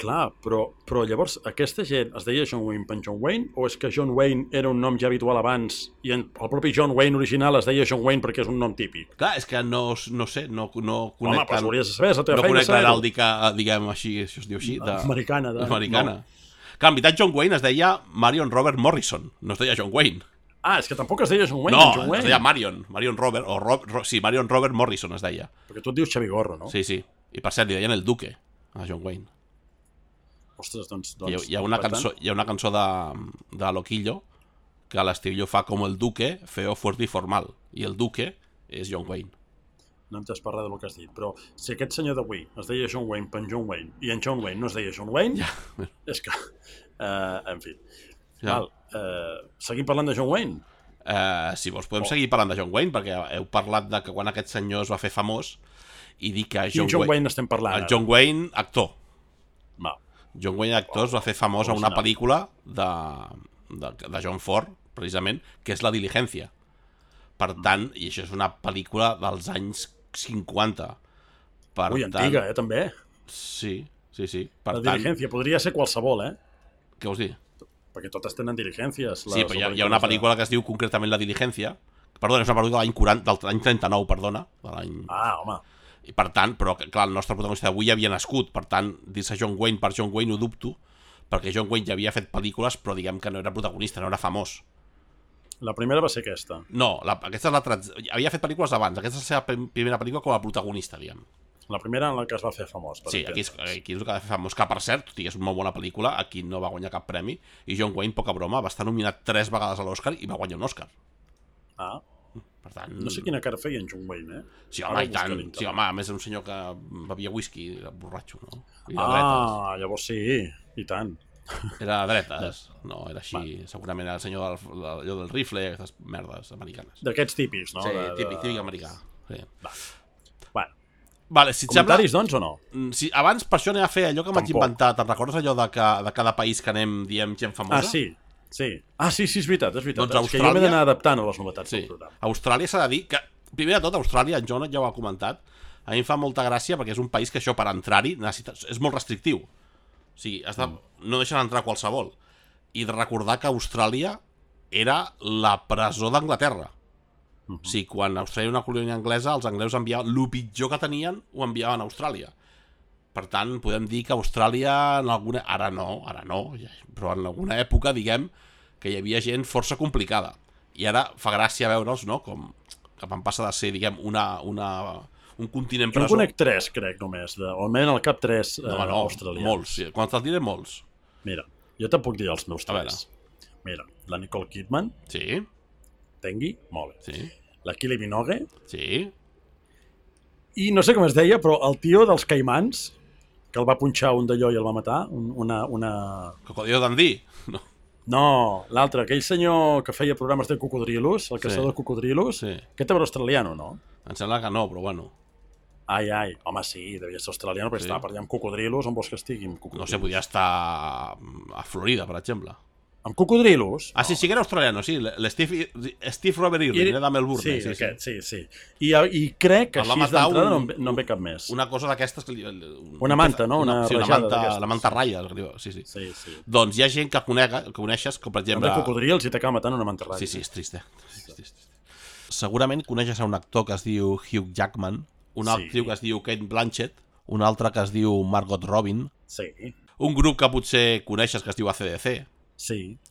Clar, però llavors aquesta gent es deia John Wayne per John Wayne o és que John Wayne era un nom ja habitual abans i el propi John Wayne original es deia John Wayne perquè és un nom típic? Clar, és que no sé, no conec... Home, però hauries de saber, és la teva feina. No conec l'heràldica, diguem així, això es diu així. Americana. No. Clar, en veritat John Wayne es deia Marion Robert Morrison, no es deia John Wayne. Ah, és que tampoc es deia John Wayne. No, John Wayne. Es deia Marion Robert, Marion Robert Morrison es deia. Perquè tu et dius Xavi Gorro, no? Sí. I per cert, li deien el Duque a John Wayne. Ostres, doncs... Hi ha una cançó de Loquillo que a l'estil fa com el Duque, feo, fuerte i formal. I el Duque és John Wayne. No em t'has parlat del que has dit, però si aquest senyor d'avui es deia John Wayne per John Wayne i en John Wayne no es deia John Wayne, és que... en fi. Val, seguim parlant de John Wayne? Si vols podem seguir parlant de John Wayne, perquè heu parlat de que quan aquest senyor es va fer famós i dir que John Wayne estem parlant? El John Wayne, actor. Val. John Wayne, actor, es va fer famós a una pel·lícula de John Ford, precisament, que és La Diligencia. Per tant, i això és una pel·lícula dels anys 50. Antiga, també? Sí. La Diligencia podria ser qualsevol, Què vols dir? Perquè totes tenen diligències. Sí, però hi ha una pel·lícula que es diu concretament La Diligencia. Perdona, és una pel·lícula de l'any 39, perdona. Ah, home. I per tant, però clar, el nostre protagonista d'avui ja havia nascut, per tant, dir-se John Wayne per John Wayne ho dubto, perquè John Wayne ja havia fet pel·lícules, però diguem que no era protagonista, no era famós. La primera va ser aquesta. No, aquesta és la havia fet pel·lícules abans, aquesta és la seva primera pel·lícula com a protagonista, diguem. La primera en la que es va fer famós. Sí, aquí és el que va fer famós, que per cert, tot i que és una molt bona pel·lícula, aquí no va guanyar cap premi, i John Wayne, poca broma, va estar nominat 3 vegades a l'Oscar i va guanyar un Òscar. Ah. Per tant... No sé quina cara feia en John Wayne, Sí, home, i tant. Sí, home, a més un senyor que bevia whisky, borratxo, no? Llavors sí, i tant. Era de dretes, no, era així. Segurament era el senyor del rifle, aquestes merdes americanes. D'aquests típics, no? Sí, típic americà. Sí. Bueno. Vale, si comentaris, doncs, o no? Sí, abans, per això anem a fer allò que m'haig inventat. Te'n recordes allò de cada país que anem diem gent famosa? Sí. Sí, és veritat. Doncs Austràlia... que jo m'he d'anar adaptant a les novetats del programa. Austràlia s'ha de dir que, primer de tot, Austràlia, en Jonat ja ho ha comentat, a mi em fa molta gràcia perquè és un país que això per entrar-hi és molt restrictiu. O sigui, no deixen entrar qualsevol. I de recordar que Austràlia era la presó d'Anglaterra. O sigui, quan Austràlia era una colònia anglesa, els anglesos enviaven el pitjor que tenien, ho enviaven a Austràlia. Per tant, podem dir que Austràlia en alguna... Ara no, però en alguna època, diguem, que hi havia gent força complicada. I ara fa gràcia veure'ls, no?, com que van passar de ser, diguem, un continent presó. Jo en conec 3, crec, només. O almenys al cap 3 australians. Molts. Sí. Quan te'ls diré, molts. Mira, jo te'n puc dir els meus 3. Mira, la Nicole Kidman. Sí. Tengui, molt bé. Sí. La Kylie Minogue. Sí. I no sé com es deia, però el tio dels Caimans, que el va punxar un d'allò i el va matar, una... Cocodrilo Dundee? No, l'altre, aquell senyor que feia programes de cocodrilos, el caçador de cocodrilos, aquest era australiano, no? Em sembla que no, però bueno. Ai, home, sí, devia ser australiano, perquè estava per allà amb cocodrilos, on vols que estigui amb cocodrilos? No sé, podia estar a Florida, per exemple. Amb cocodrilos? Ah, sí que era australiano, sí. Steve Robert Irwin, era de Melbourne. Sí. I crec que així d'entrada no en ve cap més. Una cosa d'aquestes... Una manta, no? Una manta ratlles. Sí. Doncs hi ha gent que coneixes, com per exemple... El de cocodrils i t'acaba matant una manta ratlla. Sí, és trist, Segurament coneixes un actor que es diu Hugh Jackman, un actriu que es diu Kate Blanchett, un altre que es diu Margot Robin, un grup que potser coneixes que es diu AC/DC,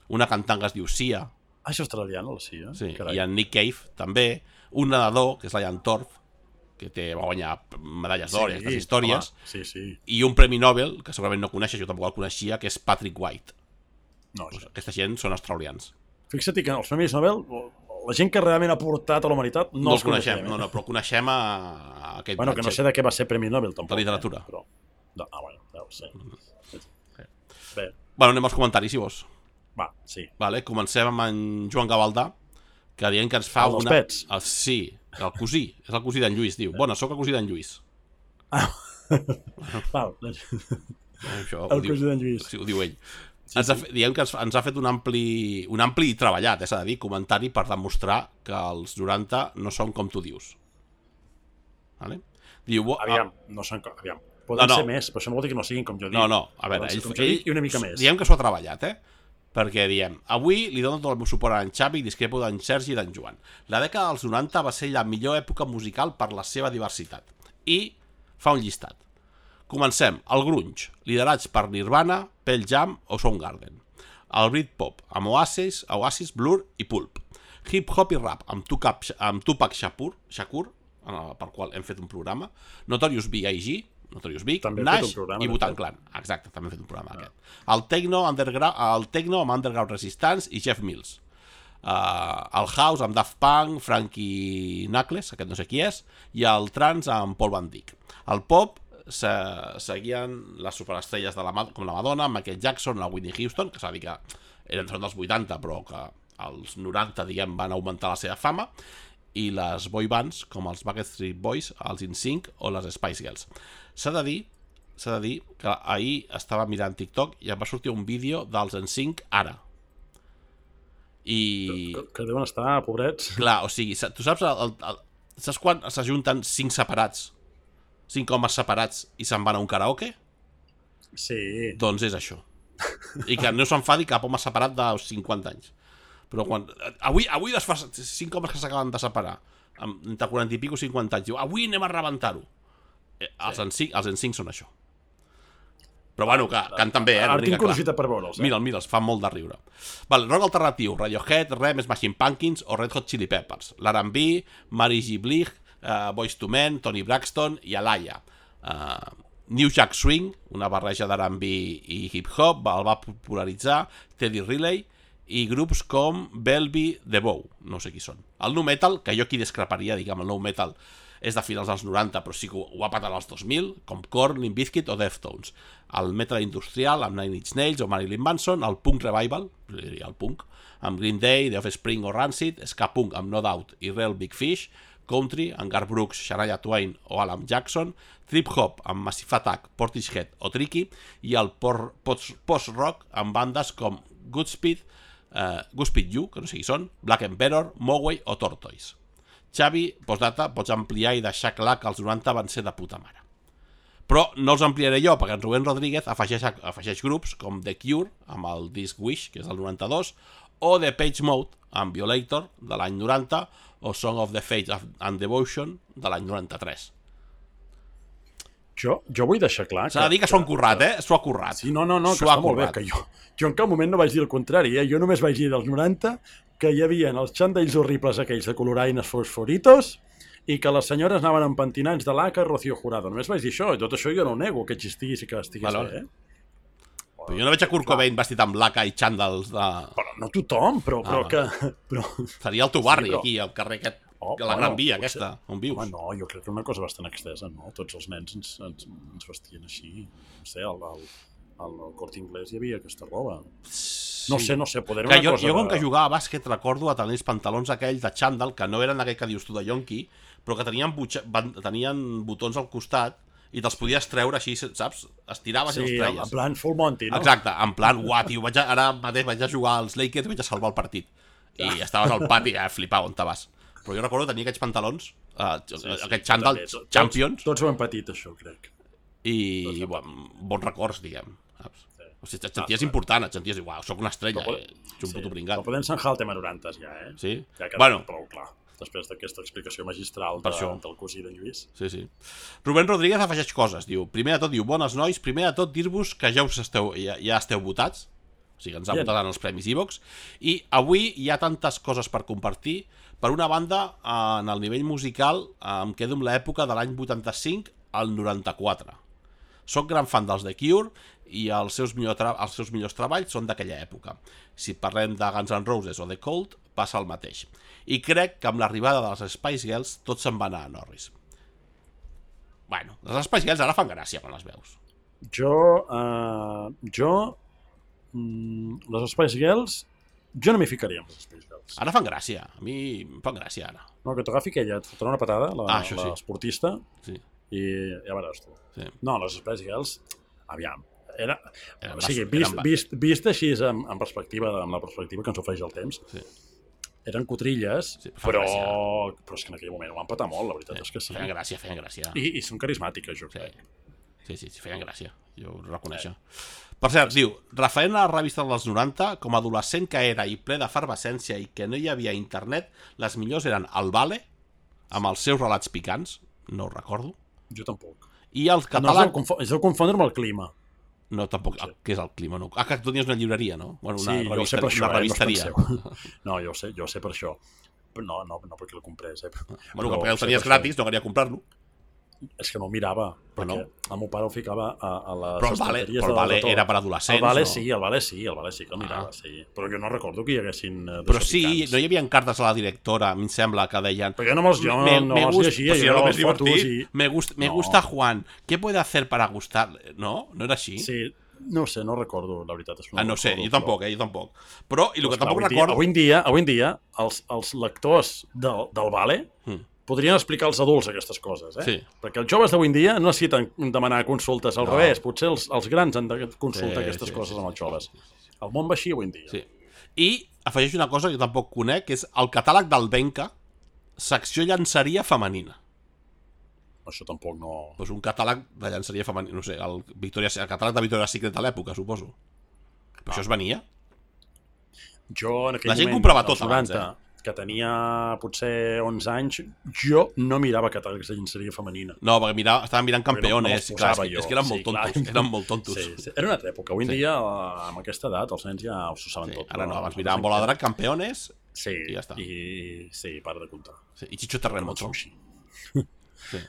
una cantant que es diu Sia. És australiana, la Sia? Sí, i en Nick Cave, també, un nedador, que és la Ian Thorpe, que va guanyar medalles d'or i aquestes històries, i un premi Nobel, que segurament no coneixes, jo tampoc el coneixia, que és Patrick White. Aquesta gent són australians. Fixa't que els premis Nobel... La gent que realment ha portat a la humanitat no els coneixem. No, però coneixem a aquest... Bueno, que no sé de què va ser Premi Nobel, tampoc. De literatura. Però... bueno, sí. Bé. Bueno, anem als comentaris, si vols. Va, sí. Vale, comencem amb en Joan Gavaldà, que dient que ens fa una... Els pets? Sí, el cosí. És el cosí d'en Lluís, diu. Bona, sóc el cosí d'en Lluís. Val. El cosí d'en Lluís. Sí, ho diu ell. Diguem que ens ha fet un ampli treballat, s'ha de dir, comentari per demostrar que els 90 no són com tu dius. Vale? Diu, aviam, no són com... Aviam. Poden ser més, però això no vol dir que no siguin com jo dic. No, a veure, ell i una mica més. Diguem que s'ho ha treballat, perquè diem, avui li dono tot el meu suport a en Xavi i discrepo d'en Sergi i d'en Joan. La dècada dels 90 va ser la millor època musical per la seva diversitat. I fa un llistat. Comencem, el grunge, liderats per Nirvana, Pearl Jam o Soundgarden. El Britpop, amb Oasis, Blur i Pulp. Hip-hop i rap, amb Tupac Shakur, per qual hem fet un programa. Notorious B.I.G., Nash i Wu-Tang Clan. Exacte, també hem fet un programa aquest. El techno amb Underground Resistance i Jeff Mills. El house amb Daft Punk, Frankie Knuckles, aquest no sé qui és, i el trance amb Paul Van Dyk. El pop seguien les superestrelles com la Madonna, Michael Jackson, la Whitney Houston, que s'ha de dir que eren dels 80 però que als 90 diguem van augmentar la seva fama, i les boy bands com els Backstreet Boys, els NSYNC o les Spice Girls. S'ha de dir que ahir estava mirant TikTok i em va sortir un vídeo dels NSYNC ara. Que deuen estar pobrets. Clar, o sigui, tu saps quan s'ajunten 5 homes separats i se'n van a un karaoke? Sí. Doncs és això. I que no s'enfadi cap home separat de 50 anys. Però quan... Avui es fa 5 homes que s'acaben de separar, entre 40 i pico 50 anys, diu, avui anem a rebentar-ho. Els NSYNC són això. Però bueno, que canten bé, Ara tinc curiositat per veure'ls. Mira'ls, fan molt de riure. Vale, rock alternatiu, Radiohead, Rem, Smashing Pumpkins o Red Hot Chili Peppers. L'R&B, Mary J. Blige, Boyz II Men, Toni Braxton i Alaya. New Jack Swing, una barreja d'R&B i hip-hop, el va popularitzar Teddy Riley, i grups com Bellevue The Bow, no sé qui són. El nu metal, que jo aquí discreparia, diguem, el nu metal és de finals dels 90, però sí que ho va patar als 2000, com Korn, Limp Bizkit o Deftones. El metal industrial, amb Nine Inch Nails o Marilyn Manson, el punk revival, el punk, amb Green Day, The Offspring o Rancid, ska punk amb No Doubt i Real Big Fish, country amb Garth Brooks, Shania Twain o Alan Jackson, trip-hop amb Massive Attack, Portishead o Tricky, i el post-rock amb bandes com Goodspeed U, que no sé qui són, Black Emperor, Moway o Tortoise. Xavi, postdata, pots ampliar i deixar clar que els 90 van ser de puta mare. Però no els ampliaré jo, perquè en Rubén Rodríguez afegeix grups com The Cure, amb el disc Wish, que és del 92, o The Page Mode, amb Violator, de l'any 90, o Song of the Faith and Devotion, de l'any 93. Jo vull deixar clar S'ha de dir que s'ho han currat, s'ho ha currat. Sí, no, que està molt bé, que jo en cap moment no vaig dir el contrari, Jo només vaig dir dels 90 que hi havia els xandalls horribles aquells de coloraines fosforitos i que les senyores anaven amb pentinats de laca Rocío Jurado. Només vaig dir això, i tot això jo no ho nego, que existís i que estigués bé. Però jo no veig a Kurt Cobain vestit amb laca i xandals de... Però no tothom, però que... Seria el teu barri, aquí, al carrer aquest, la Gran Via aquesta, on vius. Home, no, jo crec que una cosa bastant extesa, no? Tots els nens ens vestien així. No sé, al Corte Inglés hi havia aquesta roba. No sé, poder una cosa... Jo com que jugava a bàsquet recordo a tenir els pantalons aquells de xandall, que no eren aquell que dius tu de yonqui, però que tenien botons al costat i te'ls podies treure així, saps? Estiraves i els treies. Sí, en plan full Monty, no? Exacte, en plan, tio, ara mateix vaig a jugar als Lakers i vaig a salvar el partit. I estaves al pati, flipava on te vas. Però jo recordo tenir aquests pantalons, aquests xandall Champions. Tots ho hem patit, això, crec. I bons records, diguem. O sigui, et senties important, et senties, soc una estrella, ets un puto pringat. Però podem enxanjar el tema 90, ja, Sí? Ja ha quedat prou clar, després d'aquesta explicació magistral del cosí d'en Lluís. Sí. Rubén Rodríguez afegeix coses, diu, primer de tot, bones nois, primer de tot dir-vos que ja esteu votats, o sigui, ens han votat en els Premis iVox, i avui hi ha tantes coses per compartir. Per una banda, en el nivell musical, em quedo amb l'època de l'any 85 al 94. Soc gran fan dels The Cure i els seus millors treballs són d'aquella època. Si parlem de Guns N' Roses o The Cult, passa el mateix. I crec que amb l'arribada de les Spice Girls tot se'n va anar a Norris. Bueno, les Spice Girls ara fan gràcia quan les veus. Les Spice Girls, jo no m'hi ficaria amb les Spice Girls. Ara fan gràcia, a mi em fan gràcia ara. No, que t'agafi aquella, et fotrà una patada, l'esportista, i ja veuràs tu. Sí. No, les Spice Girls, aviam, o sigui, vist així amb la perspectiva que ens ofereix el temps, eren cotrilles, però és que en aquell moment ho van patar molt, la veritat és que sí. Feien gràcia. I són carismàtiques, jo crec. Sí, feien gràcia, jo ho reconeixo. Per cert, diu, referent a la revista dels 90, com a adolescent que era i ple d'efervescència i que no hi havia internet, les millors eren el Vale, amb els seus relats picants, no ho recordo. Jo tampoc. I el catàleg... És de confondre amb el clima. No, tampoc. Què és el clima? No? Que tu tenies una llibreria, no? Bueno, sí, jo sé per això, una revisteria. No, jo sé per això. Però no perquè el comprés. Bueno, perquè el tenies gratis, no queria comprar-lo. És que no el mirava, perquè el meu pare el ficava a les estanteries. Però el Vale era per adolescents. El Vale sí que el mirava, sí. Però jo no recordo que hi haguessin... Però sí, no hi havia cartes a la directora, a mi em sembla, que deien... Perquè no me'ls llegia, jo fotos i... Me gusta Juan, ¿qué puede hacer para gustar? No? No era així? Sí, no sé, no recordo, la veritat. No sé, jo tampoc. Però, i el que tampoc recordo... Avui en dia, els lectors del Vale... podrien explicar als adults aquestes coses, Sí. Perquè els joves d'avui en dia no necessiten demanar consultes, al revés, potser els grans han de consultar aquestes coses amb els joves. El món va així avui en dia. Sí. I afegeix una cosa que jo tampoc conec, que és el catàleg del Benca, secció llançaria femenina. Això tampoc no... Pues un catàleg de llançaria femenina, no sé, el catàleg de Victoria's Secret de l'època, suposo. Però això es venia? Jo, en aquell la gent moment, comprava tot abans, que tenia potser 11 anys, jo no mirava catàlegs de llenceria femenina. No, perquè estava mirant Campeones. No clar, és que eren molt tontos. Eren molt tontos. Sí. Era una altra època. Avui en dia, amb aquesta edat, els nens ja s'ho saben tot. Ara no, abans miraven Bola Drac, Campeones, i ja està. Sí, para de comptar. I Chicho Terremoto.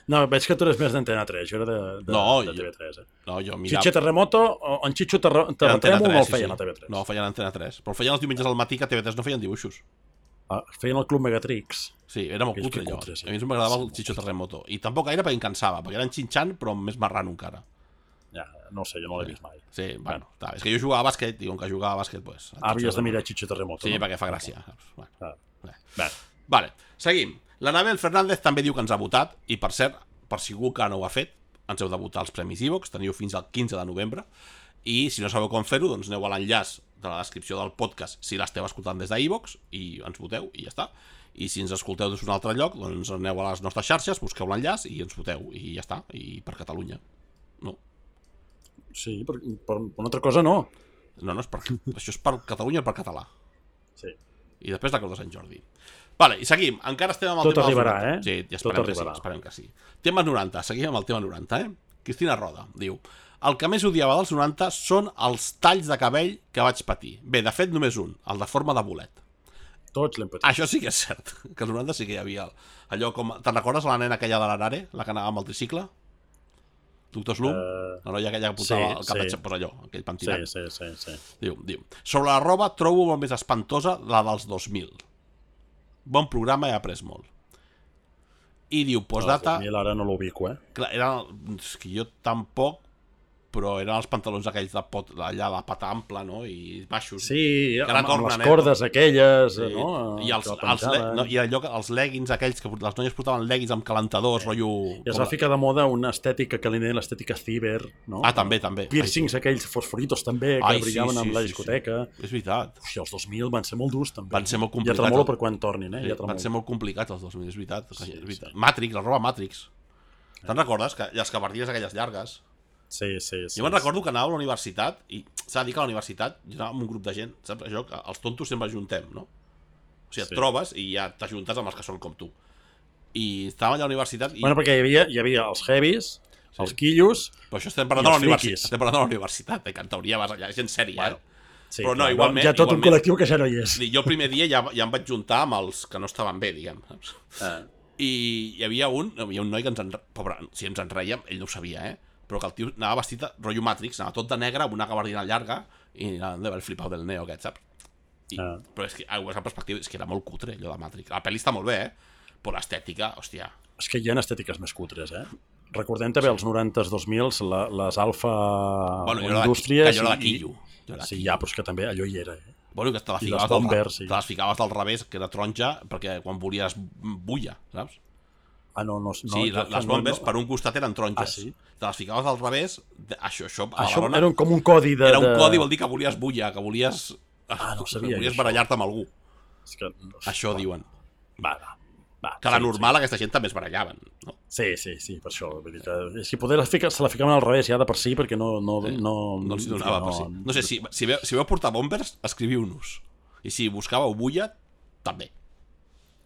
No, veig que tu eres més d'Antena 3, jo era de TV3. No, jo mirava... Chicho Terremoto, en Chicho Terremoto no el feien a TV3. No, el feien a Antena 3. Però el feien els diumenges al matí, que a TV3 no feien dibuixos. Feien el Club Megatrix. Sí, era molt cutre allò. A mi m'agradava el Chicho Terremoto. I tampoc gaire perquè em cansava, perquè era en Xinxan, però més marrano encara. Ja, no sé, jo no l'he vist mai. Sí, bueno, és que jo jugava a bàsquet, i com que jugava a bàsquet, pues... Havies de mirar Chicho Terremoto. Sí, perquè fa gràcia. Vale, seguim. L'Anabel Fernández també diu que ens ha votat, i per cert, per si algú que no ho ha fet, ens heu de votar als Premis iVox, teniu fins al 15 de novembre, i si no sabeu com fer-ho, doncs aneu a l'enllaç de la descripció del podcast si l'esteu escoltant des d'iVox i ens voteu i ja està. I si ens escolteu des d'un altre lloc, doncs aneu a les nostres xarxes, busqueu l'enllaç i ens voteu i ja està. I per Catalunya. No. Sí, per una altra cosa no. No, això és per Catalunya i per català. Sí. I després la Creu de Sant Jordi. Vale, i seguim. Encara estem amb el tema... Tot arribarà, eh? Sí, ja esperem que sí. Tema 90, seguim amb el tema 90, Cristina Roda diu: el que més odiava dels 90 són els talls de cabell que vaig patir. Bé, de fet, només un, el de forma de bolet. Tots l'hem patit. Això sí que és cert, que als 90 sí que hi havia allò com... Te'n recordes la nena aquella de l'Arare, la que anava amb el tricicle? Doctor Slum? La noia aquella que portava el cap de xapós allò, aquell pentinat. Sí. Diu, sobre la roba trobo molt més espantosa la dels 2000. Bon programa, he après molt. I diu, postdata... El 2000 ara no l'ubico, Clar, és que jo tampoc, però eren els pantalons aquells allà de pata ampla, no? I baixos. Sí, amb les cordes aquelles, sí. No? I allò que els leggings aquells, que les noies portaven leggings amb calentadors, rotllo... I es va ficar de moda una estètica que li deien l'estètica ciber, no? També. Piercings aquells fosforitos també, que brillaven amb la discoteca. És veritat. Hòstia, els 2000 van ser molt durs, també. Van ser molt complicats. Ja tremolo per quan tornin, Van ser molt complicats els 2000, és veritat. Matrix, la roba Matrix. Te'n recordes? Les cabardies aquelles llargues. Sí. Jo me'n recordo que anava a la universitat i s'ha de dir que a la universitat jo anava amb un grup de gent, saps? Això que els tontos sempre juntem, no? O sigui, et trobes i ja t'ajuntes amb els que són com tu. I estàvem allà a la universitat i... Bueno, perquè hi havia els heavies, els quillos... Però això estem parlant de la universitat. Estem parlant de la universitat, que en teoria vas allà, gent sèria, Sí, però no, igualment... Hi ha tot un col·lectiu que ja no hi és. Jo el primer dia ja em vaig juntar amb els que no estaven bé, diguem. I hi havia un noi que pobre, si ens en rèiem, ell no ho sabia, però que el tio anava vestit de rotllo Matrix, anava tot de negre amb una gabardina llarga i anava d'haver flipat del neo aquest, saps? Però és que, a la perspectiva, és que era molt cutre allò de Matrix. La pel·li està molt bé, però l'estètica, hòstia... És que hi ha estètiques més cutres, Recordem també els 90s, 2000s, les alfa indústries... Allò de quillo. Sí, ja, però és que també allò hi era, Bueno, que te les ficaves del revés, que era taronja, perquè quan volies bulla, saps? No. Sí, les bombes per un costat eren taronges. Te les ficaves al revés, això era com un codi de... Era un codi, vol dir que volies bulla, que volies... no sabia. Volies barallar-te amb algú. Això diuen. Va. Que la normal aquesta gent també es barallaven, no? Sí, per això. És que poder se la ficaven al revés ja de per si, perquè no els donava per si. No sé, si veu portar bombers, escriviu-nos. I si buscàveu bulla, també.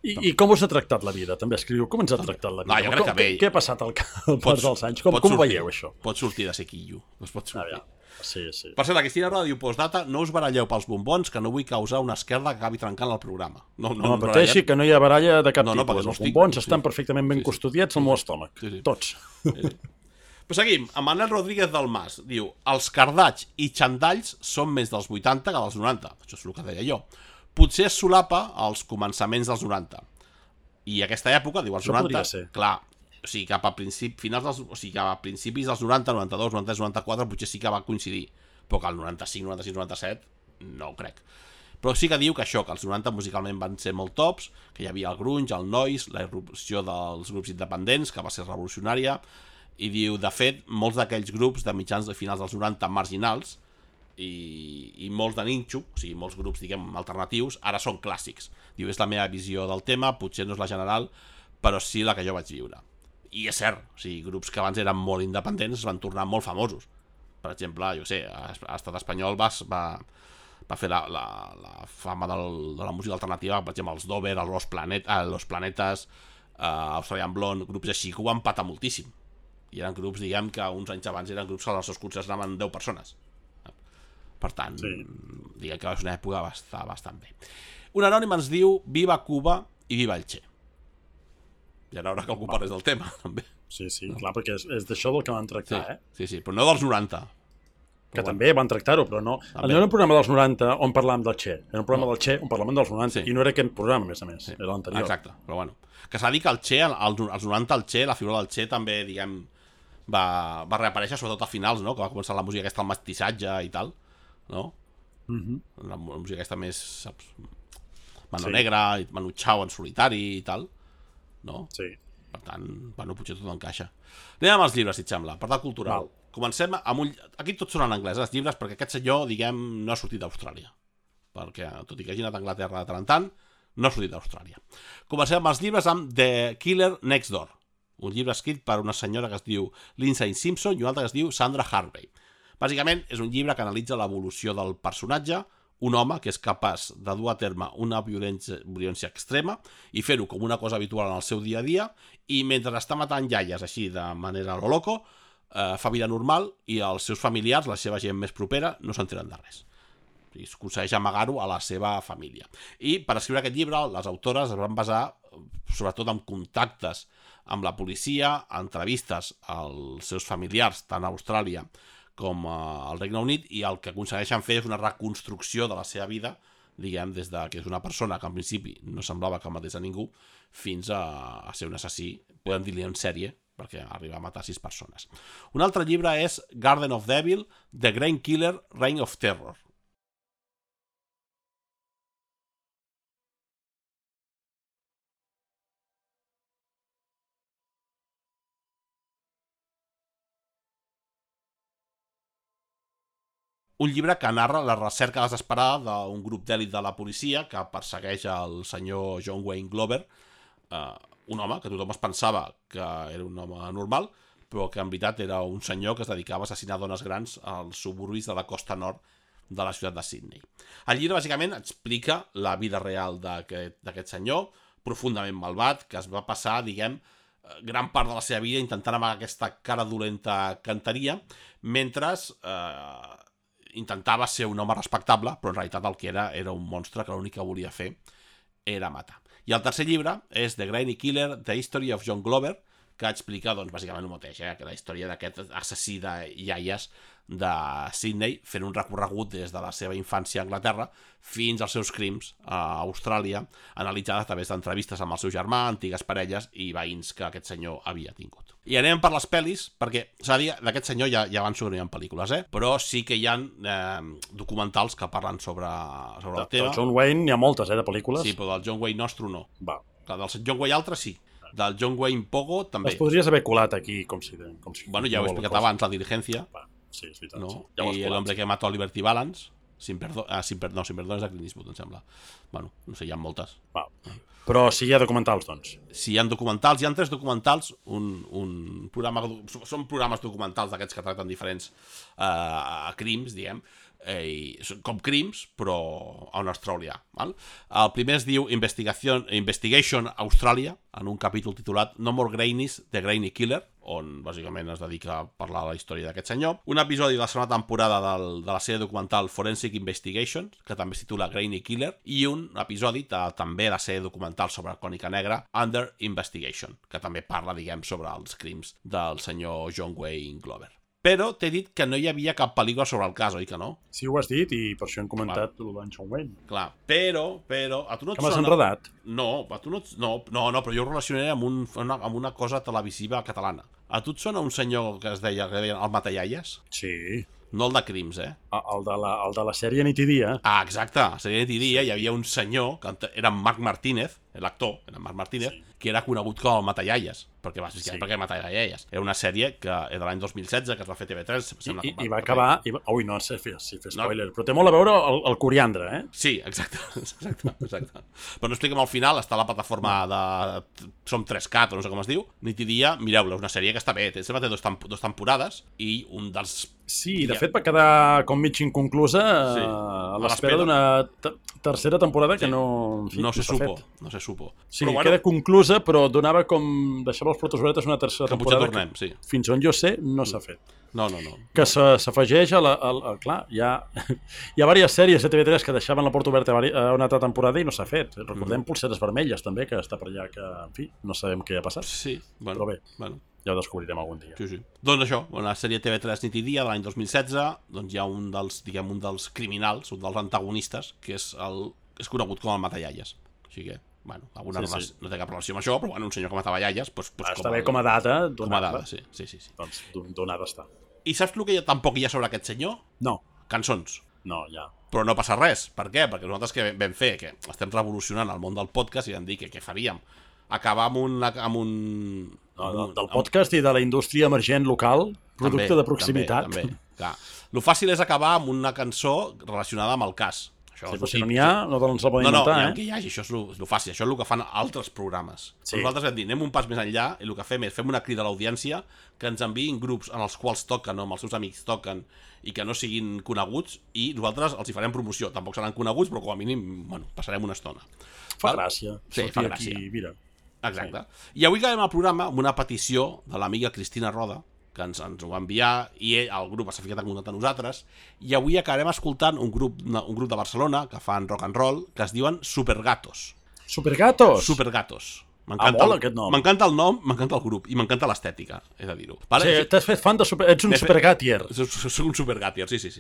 I com us ha tractat la vida? També escriviu com ens ha tractat la vida. Jo crec que bé. Què ha passat al pas dels anys? Com ho veieu, això? Pots sortir de ser quillo. Pots sortir. Sí. Per cert, la Cristina Roda diu, postdata, no us baralleu pels bombons, que no vull causar una esquerda que acabi trencant el programa. No pateixi que no hi ha baralla de cap tipus. Els bombons estan perfectament ben custodiats al meu estómac. Tots. Però seguim, amb Manel Rodríguez del Mas. Diu, els cardats i xandalls són més dels 80 que dels 90. Això és el que deia jo. Potser es solapa als començaments dels 90. I aquesta època, diu, els 90... Clar, o sigui, cap a principis dels 90, 92, 93, 94 potser sí que va coincidir, però que el 95, 96, 97 no ho crec. Però sí que diu que això, que els 90 musicalment van ser molt tops, que hi havia el grunge, el noise, la irrupció dels grups independents, que va ser revolucionària, i diu, de fet, molts d'aquells grups de mitjans de finals dels 90 marginals i molts de ninxo, o sigui, molts grups, diguem, alternatius, ara són clàssics. Diu, és la meva visió del tema, potser no és la general, però sí la que jo vaig viure. I és cert, o sigui, grups que abans eren molt independents es van tornar molt famosos. Per exemple, jo sé, a l'estat espanyol va va fer la fama de la música alternativa, per exemple, els Dover, Los Planetes, Australian Blonde, grups així que ho van patar moltíssim. I eren grups, diguem, que uns anys abans eren grups que als seus concerts anaven 10 persones. Per tant, diguem que és una època bastant bé. Un anònim ens diu Viva Cuba i Viva el Che. Ja era hora que algú parlés del tema, també. Sí, clar, perquè és d'això del que van tractar, Sí, però no dels 90. Que també van tractar-ho, però no. No era un programa dels 90 on parlàvem del Che. Era un programa del Che on parlàvem dels 90 i no era aquest programa, a més. Era l'anterior. Exacte, però bueno. Que s'ha dit que el Che, als 90 el Che, la figura del Che també, diguem, va reaparèixer sobretot a finals, no? Que va començar la música aquesta, el mestissatge i tal, no? La música aquesta més, saps? Mano Negra, Manu Chao en solitari i tal, no? Sí. Per tant, bueno, potser tot encaixa. Anem amb els llibres, si et sembla, per part cultural. Comencem amb un... Aquí tots són en anglès, els llibres, perquè aquest senyor, diguem, no ha sortit d'Austràlia. Perquè, tot i que hagi anat a Anglaterra de tant en tant, no ha sortit d'Austràlia. Comencem amb els llibres amb The Killer Next Door, un llibre escrit per una senyora que es diu Lindsay Simpson i una altra que es diu Sandra Harvey. Bàsicament, és un llibre que analitza l'evolució del personatge, un home que és capaç de dur a terme una violència extrema i fer-ho com una cosa habitual en el seu dia a dia, i mentre està matant iaies així de manera a lo loco, fa vida normal i els seus familiars, la seva gent més propera, no s'enteren de res. I es aconsegueix amagar-ho a la seva família. I per escriure aquest llibre, les autores es van basar sobretot en contactes amb la policia, entrevistes als seus familiars, tant a Austràlia com al Regne Unit, i el que aconsegueixen fer és una reconstrucció de la seva vida, diguem, des de que és una persona que en principi no semblava que matés a ningú, fins a ser un assassí, podem dir-li en sèrie, perquè arriba a matar 6 persones. Un altre llibre és Garden of Devil, The Grain Killer, Reign of Terror. Un llibre que narra la recerca desesperada d'un grup d'èlit de la policia que persegueix el senyor John Wayne Glover, un home que tothom es pensava que era un home normal, però que en veritat era un senyor que es dedicava a assassinar dones grans als suburbis de la costa nord de la ciutat de Sydney. El llibre bàsicament explica la vida real d'aquest senyor, profundament malvat, que es va passar, diguem, gran part de la seva vida intentant amagar aquesta cara dolenta canteria, mentre intentava ser un home respectable, però en realitat el que era un monstre que l'únic que volia fer era matar. I el tercer llibre és The Grainy Killer, The History of John Glover, que explica, doncs, bàsicament el mateix, que la història d'aquest assassí de iaies de Sydney, fent un recorregut des de la seva infància a Anglaterra fins als seus crims a Austràlia, analitzada a través d'entrevistes amb el seu germà, antigues parelles i veïns que aquest senyor havia tingut. I anem per les pel·lis, perquè s'ha de dir, d'aquest senyor ja avanço que no hi ha pel·lícules, però sí que hi ha documentals que parlen sobre el tema. Del John Wayne n'hi ha moltes, de pel·lícules. Sí, però del John Wayne nostre no. Va. Del John Wayne altre sí. Del John Wayne Pogo també. Les podries haver colat aquí, com si bueno, ja ho he explicat abans, La Diligencia. Sí, és veritat. No? Sí. Ja I L'Hombre que mató a Liberty Balance. Sin perdó és de Clint Eastwood, em sembla. Bueno, no sé, hi ha moltes. Va. Però si hi ha documentals, doncs. Si hi ha documentals, hi ha 3 documentals, un programa, són programes documentals d'aquests que tracten diferents crims, diguem, com crims, però en australià. Val? El primer es diu Investigation Australia, en un capítol titulat No More Grainies, The Grainy Killer, on bàsicament es dedica a parlar de la història d'aquest senyor. Un episodi de la segona temporada de la sèrie documental Forensic Investigation, que també es titula Grainy Killer, i un episodi també de la sèrie documental sobre Cònica Negra, Under Investigation, que també parla, diguem, sobre els crims del senyor John Wayne Glover. Però t'he dit que no hi havia cap pel·lícula sobre el cas, oi que no? Sí, ho has dit i per això hem comentat el John Wayne. Clar, però, a tu no et sona... Que m'has enredat? No, a tu no, però jo ho relacionaré amb una cosa televisiva catalana. A tu et sona un senyor que es deia el Matallaies? Sí. No el de crims, El de la sèrie Nit i Dia. Ah, exacte, a la sèrie Nit i Dia hi havia un senyor, que era Marc Martínez, l'actor, era Marc Martínez, que era conegut com el Matallaies, perquè Matallaies. Era una sèrie que era de l'any 2016, que es va fer TV3. I va acabar... Ui, no sé fer spoiler, però té molt a veure el coriandre, Sí, exacte. Però no expliquem al final, està a la plataforma de Som 3Cat, o no sé com es diu, Nit i Dia, mireu-la, és una sèrie que està bé, té 2 temporades, i un dels Sí, de fet va quedar com mig inconclusa a l'espera d'una tercera temporada que no se supo. Sí, queda conclusa, però donava com... deixava els portes obertes una tercera temporada que fins on jo sé no s'ha fet. No. Que s'afegeix a la... Clar, hi ha diverses sèries de TV3 que deixaven la porta oberta a una altra temporada i no s'ha fet. Recordem Polseres Vermelles, també, que està per allà, que, en fi, no sabem què ha passat. Sí, però bé, ja ho descobrirem algun dia. Sí. Doncs això, una sèrie TV3 Nit i Dia de l'any 2016, doncs hi ha un dels criminals, un dels antagonistes, que és conegut com el Matallalles. Així que, no té cap relació amb això, però un senyor que matava iaies... Està bé com a data. Com a data, sí. Doncs donada està. I saps el que tampoc hi ha sobre aquest senyor? No. Cançons. No, ja. Però no passa res. Per què? Perquè nosaltres que vam fer, que estem revolucionant el món del podcast i vam dir que què faríem? Acabar amb un... Del podcast i de la indústria emergent local, producte de proximitat. També. Clar. Lo fàcil és acabar amb una cançó relacionada amb el cas. Però si no n'hi ha, no ens la podem inventar, que hi hagi, això és lo fàcil, això és el que fan altres programes. Sí. Nosaltres vam dir, anem un pas més enllà i el que fem és fem una crida a l'audiència que ens enviïn grups en els quals toquen o amb els seus amics toquen i que no siguin coneguts i nosaltres els hi farem promoció. Tampoc seran coneguts, però com a mínim, passarem una estona. Fa gràcia. Sí, fa gràcia. Mira. Exacte. Sí. I avui acabem el programa amb una petició de l'amiga Cristina Roda, que ens ho va enviar, i el grup s'ha ficat en contacte amb nosaltres, i avui acabarem escoltant un grup de Barcelona que fan rock and roll, que es diuen Supergatos. Supergatos? Supergatos. Molt aquest nom. M'encanta el nom, m'encanta el grup, i m'encanta l'estètica, he de dir-ho. Sí, t'has fet fan de ets un supergatier. Soc un supergatier, sí.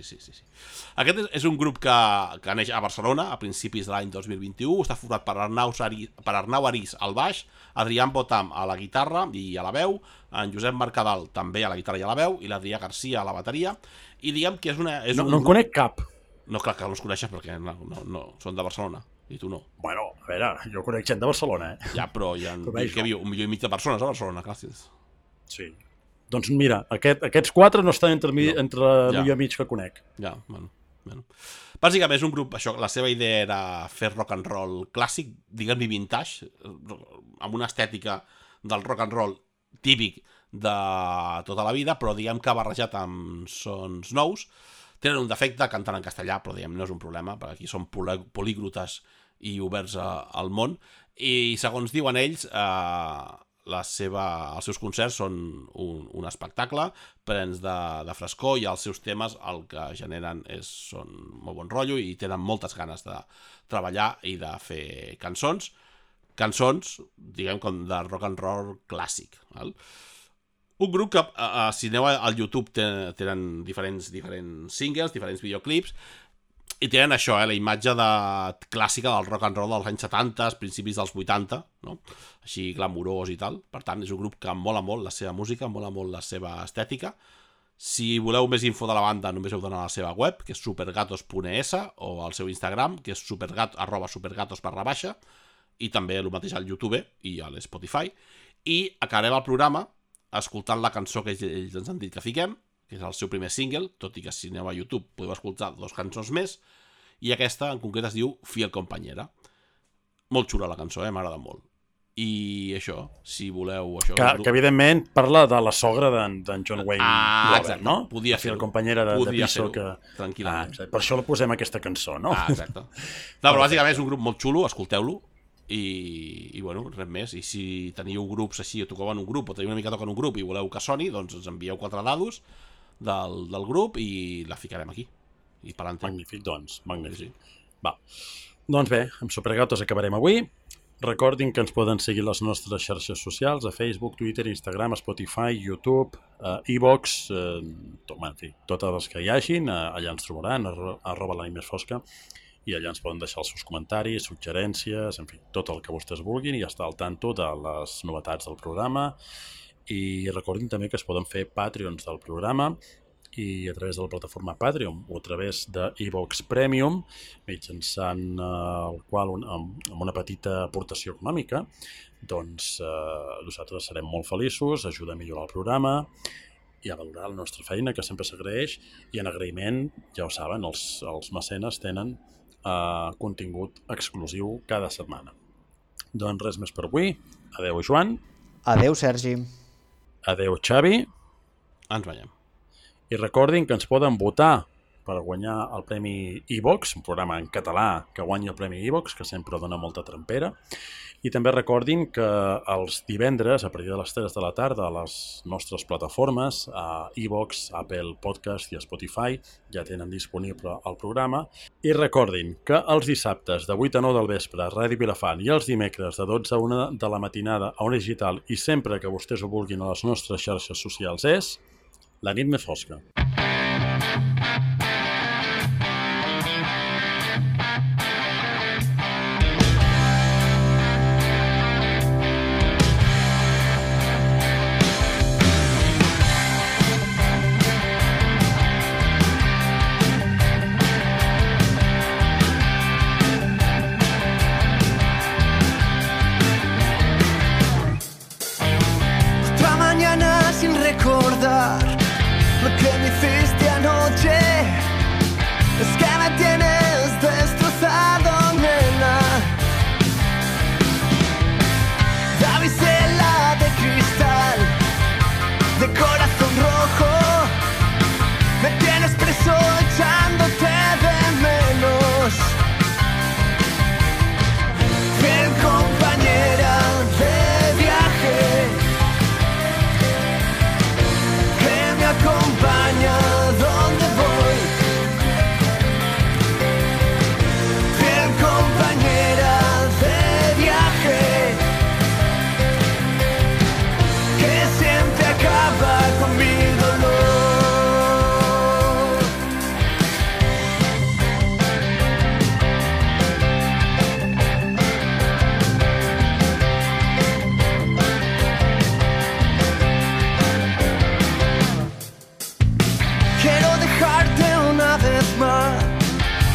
Aquest és un grup que neix a Barcelona a principis de l'any 2021, està format per Arnau Arís al baix, Adrián Botam a la guitarra i a la veu, en Josep Mercadal també a la guitarra i a la veu, i l'Adrià Garcia a la bateria, i diguem que és un... No en conec cap. No, clar que no els coneixes perquè no són de Barcelona. I tu no. Bueno, a veure, jo conec gent de Barcelona, Ja, però hi ha un milió i mig de persones a Barcelona, gràcies. Sí. Doncs mira, aquests quatre no estan entre milió i mig que conec. Ja, bueno. Bàsicament és un grup, això, la seva idea era fer rock and roll clàssic, diguem-li vintage, amb una estètica del rock and roll típic de tota la vida, però diguem que barrejat amb sons nous. Tenen un defecte, canten en castellà, però diguem, no és un problema, perquè aquí són políglotes i oberts al món, i segons diuen ells, els seus concerts són un espectacle, plens de frescor, i els seus temes el que generen són molt bon rotllo i tenen moltes ganes de treballar i de fer cançons, diguem, com de rock and roll clàssic, val? Un grup que, si aneu al YouTube, tenen diferents singles, diferents videoclips, i tenen això, la imatge clàssica del rock and roll dels anys 70, principis dels 80, no? Així glamurós i tal. Per tant, és un grup que mola molt la seva música, mola molt la seva estètica. Si voleu més info de la banda, només heu d'anar a la seva web, que és supergatos.es, o al seu Instagram, que és @supergatos_, i també el mateix al YouTube i a l'Spotify. I acabarem el programa escoltant la cançó que ells ens han dit que fiquem, que és el seu primer single, tot i que si aneu a YouTube podeu escoltar 2 cançons més, i aquesta en concret es diu Fiel Compañera. Molt xula la cançó, m'agrada molt. I això, si voleu... Que evidentment parla de la sogra d'en John Wayne Robert, no? Podia ser. Fiel Compañera de Piso. Tranquil·lament. Per això la posem aquesta cançó, no? Exacte. No, però bàsicament és un grup molt xulo, escolteu-lo. I bueno, res més. I si teniu grups així, o toqueu en un grup, o teniu una mica toca en un grup i voleu que soni, doncs ens envieu 4 dados del grup i la ficarem aquí. I pelante. Magnífic, doncs. Magnífic. Va. Doncs bé, amb Supergatos acabarem avui. Recordin que ens poden seguir les nostres xarxes socials, a Facebook, Twitter, Instagram, Spotify, YouTube, iVox, en fi, totes les que hi hagin, allà ens trobaran, @l'animesfosca, i allà ens poden deixar els seus comentaris, suggerències, en fi, tot el que vostès vulguin i estar al tanto de les novetats del programa. I recordin també que es poden fer Patreons del programa i a través de la plataforma Patreon o a través de iVox Premium, mitjançant el qual, amb una petita aportació econòmica, doncs nosaltres serem molt feliços, ajuda a millorar el programa i a valorar la nostra feina, que sempre s'agraeix, i en agraïment, ja ho saben, els mecenes tenen contingut exclusiu cada setmana. Doncs res més per avui. Adeu, Joan. Adeu, Sergi. Adeu, Xavi. Ens veiem. I recordin que ens poden votar per guanyar el Premi iVox, un programa en català que guanya el Premi iVox, que sempre dona molta trempera. I també recordin que els divendres, a partir de les 3 de la tarda, a les nostres plataformes, a iVox, Apple Podcast i Spotify, ja tenen disponible el programa. I recordin que els dissabtes de 8 a 9 del vespre a Ràdio Vilafant i els dimecres de 12 a 1 de la matinada a Ona Digital i sempre que vostès ho vulguin a les nostres xarxes socials és La nit més fosca. Lo que me hiciste anoche es que me tienes destrozado, nena. Damisela de cristal, de corazón rojo, me tienes preso echándote de menos. Fiel compañera de viaje, acompaña donde voy. Fiel compañera de viaje, que siempre acaba con mi dolor.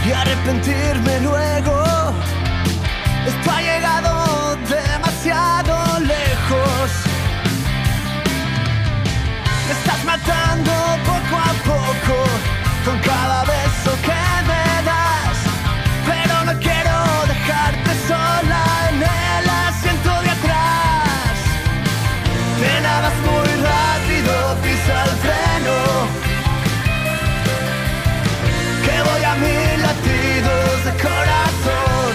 Y arrepentirme luego. Esto ha llegado demasiado lejos. Me estás matando poco a poco con cada beso que me das, pero no quiero dejarte sola en el asiento de atrás. Nena, vas muy rápido, pisa el freno, que voy a 1000 latidos de corazón.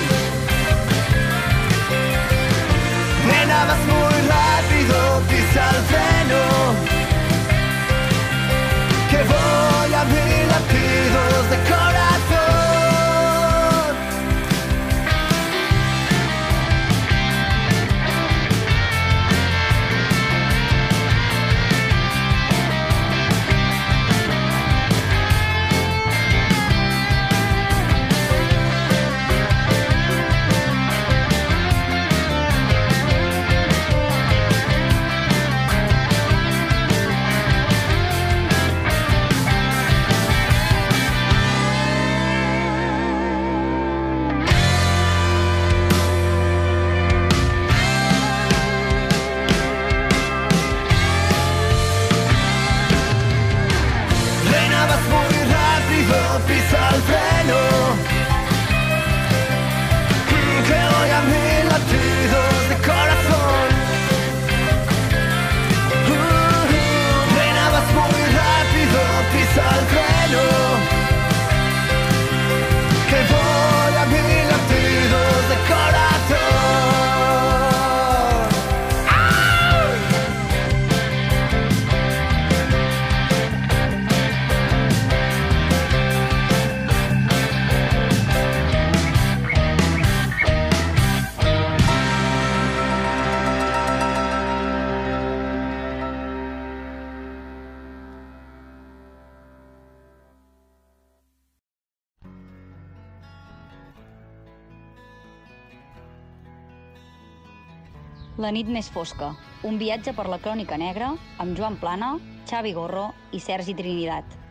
Nena, vas muy rápido, pisa el freno, que voy a 1000 latidos de corazón. Pisa el freno, que voy a 1000 latidos de corazón. Reina, vas muy rápido, pisa el freno, que voy a 1000 latidos de corazón. La nit més fosca, un viatge per la crònica negra amb Joan Plana, Xavi Gorro i Sergi Trinidat.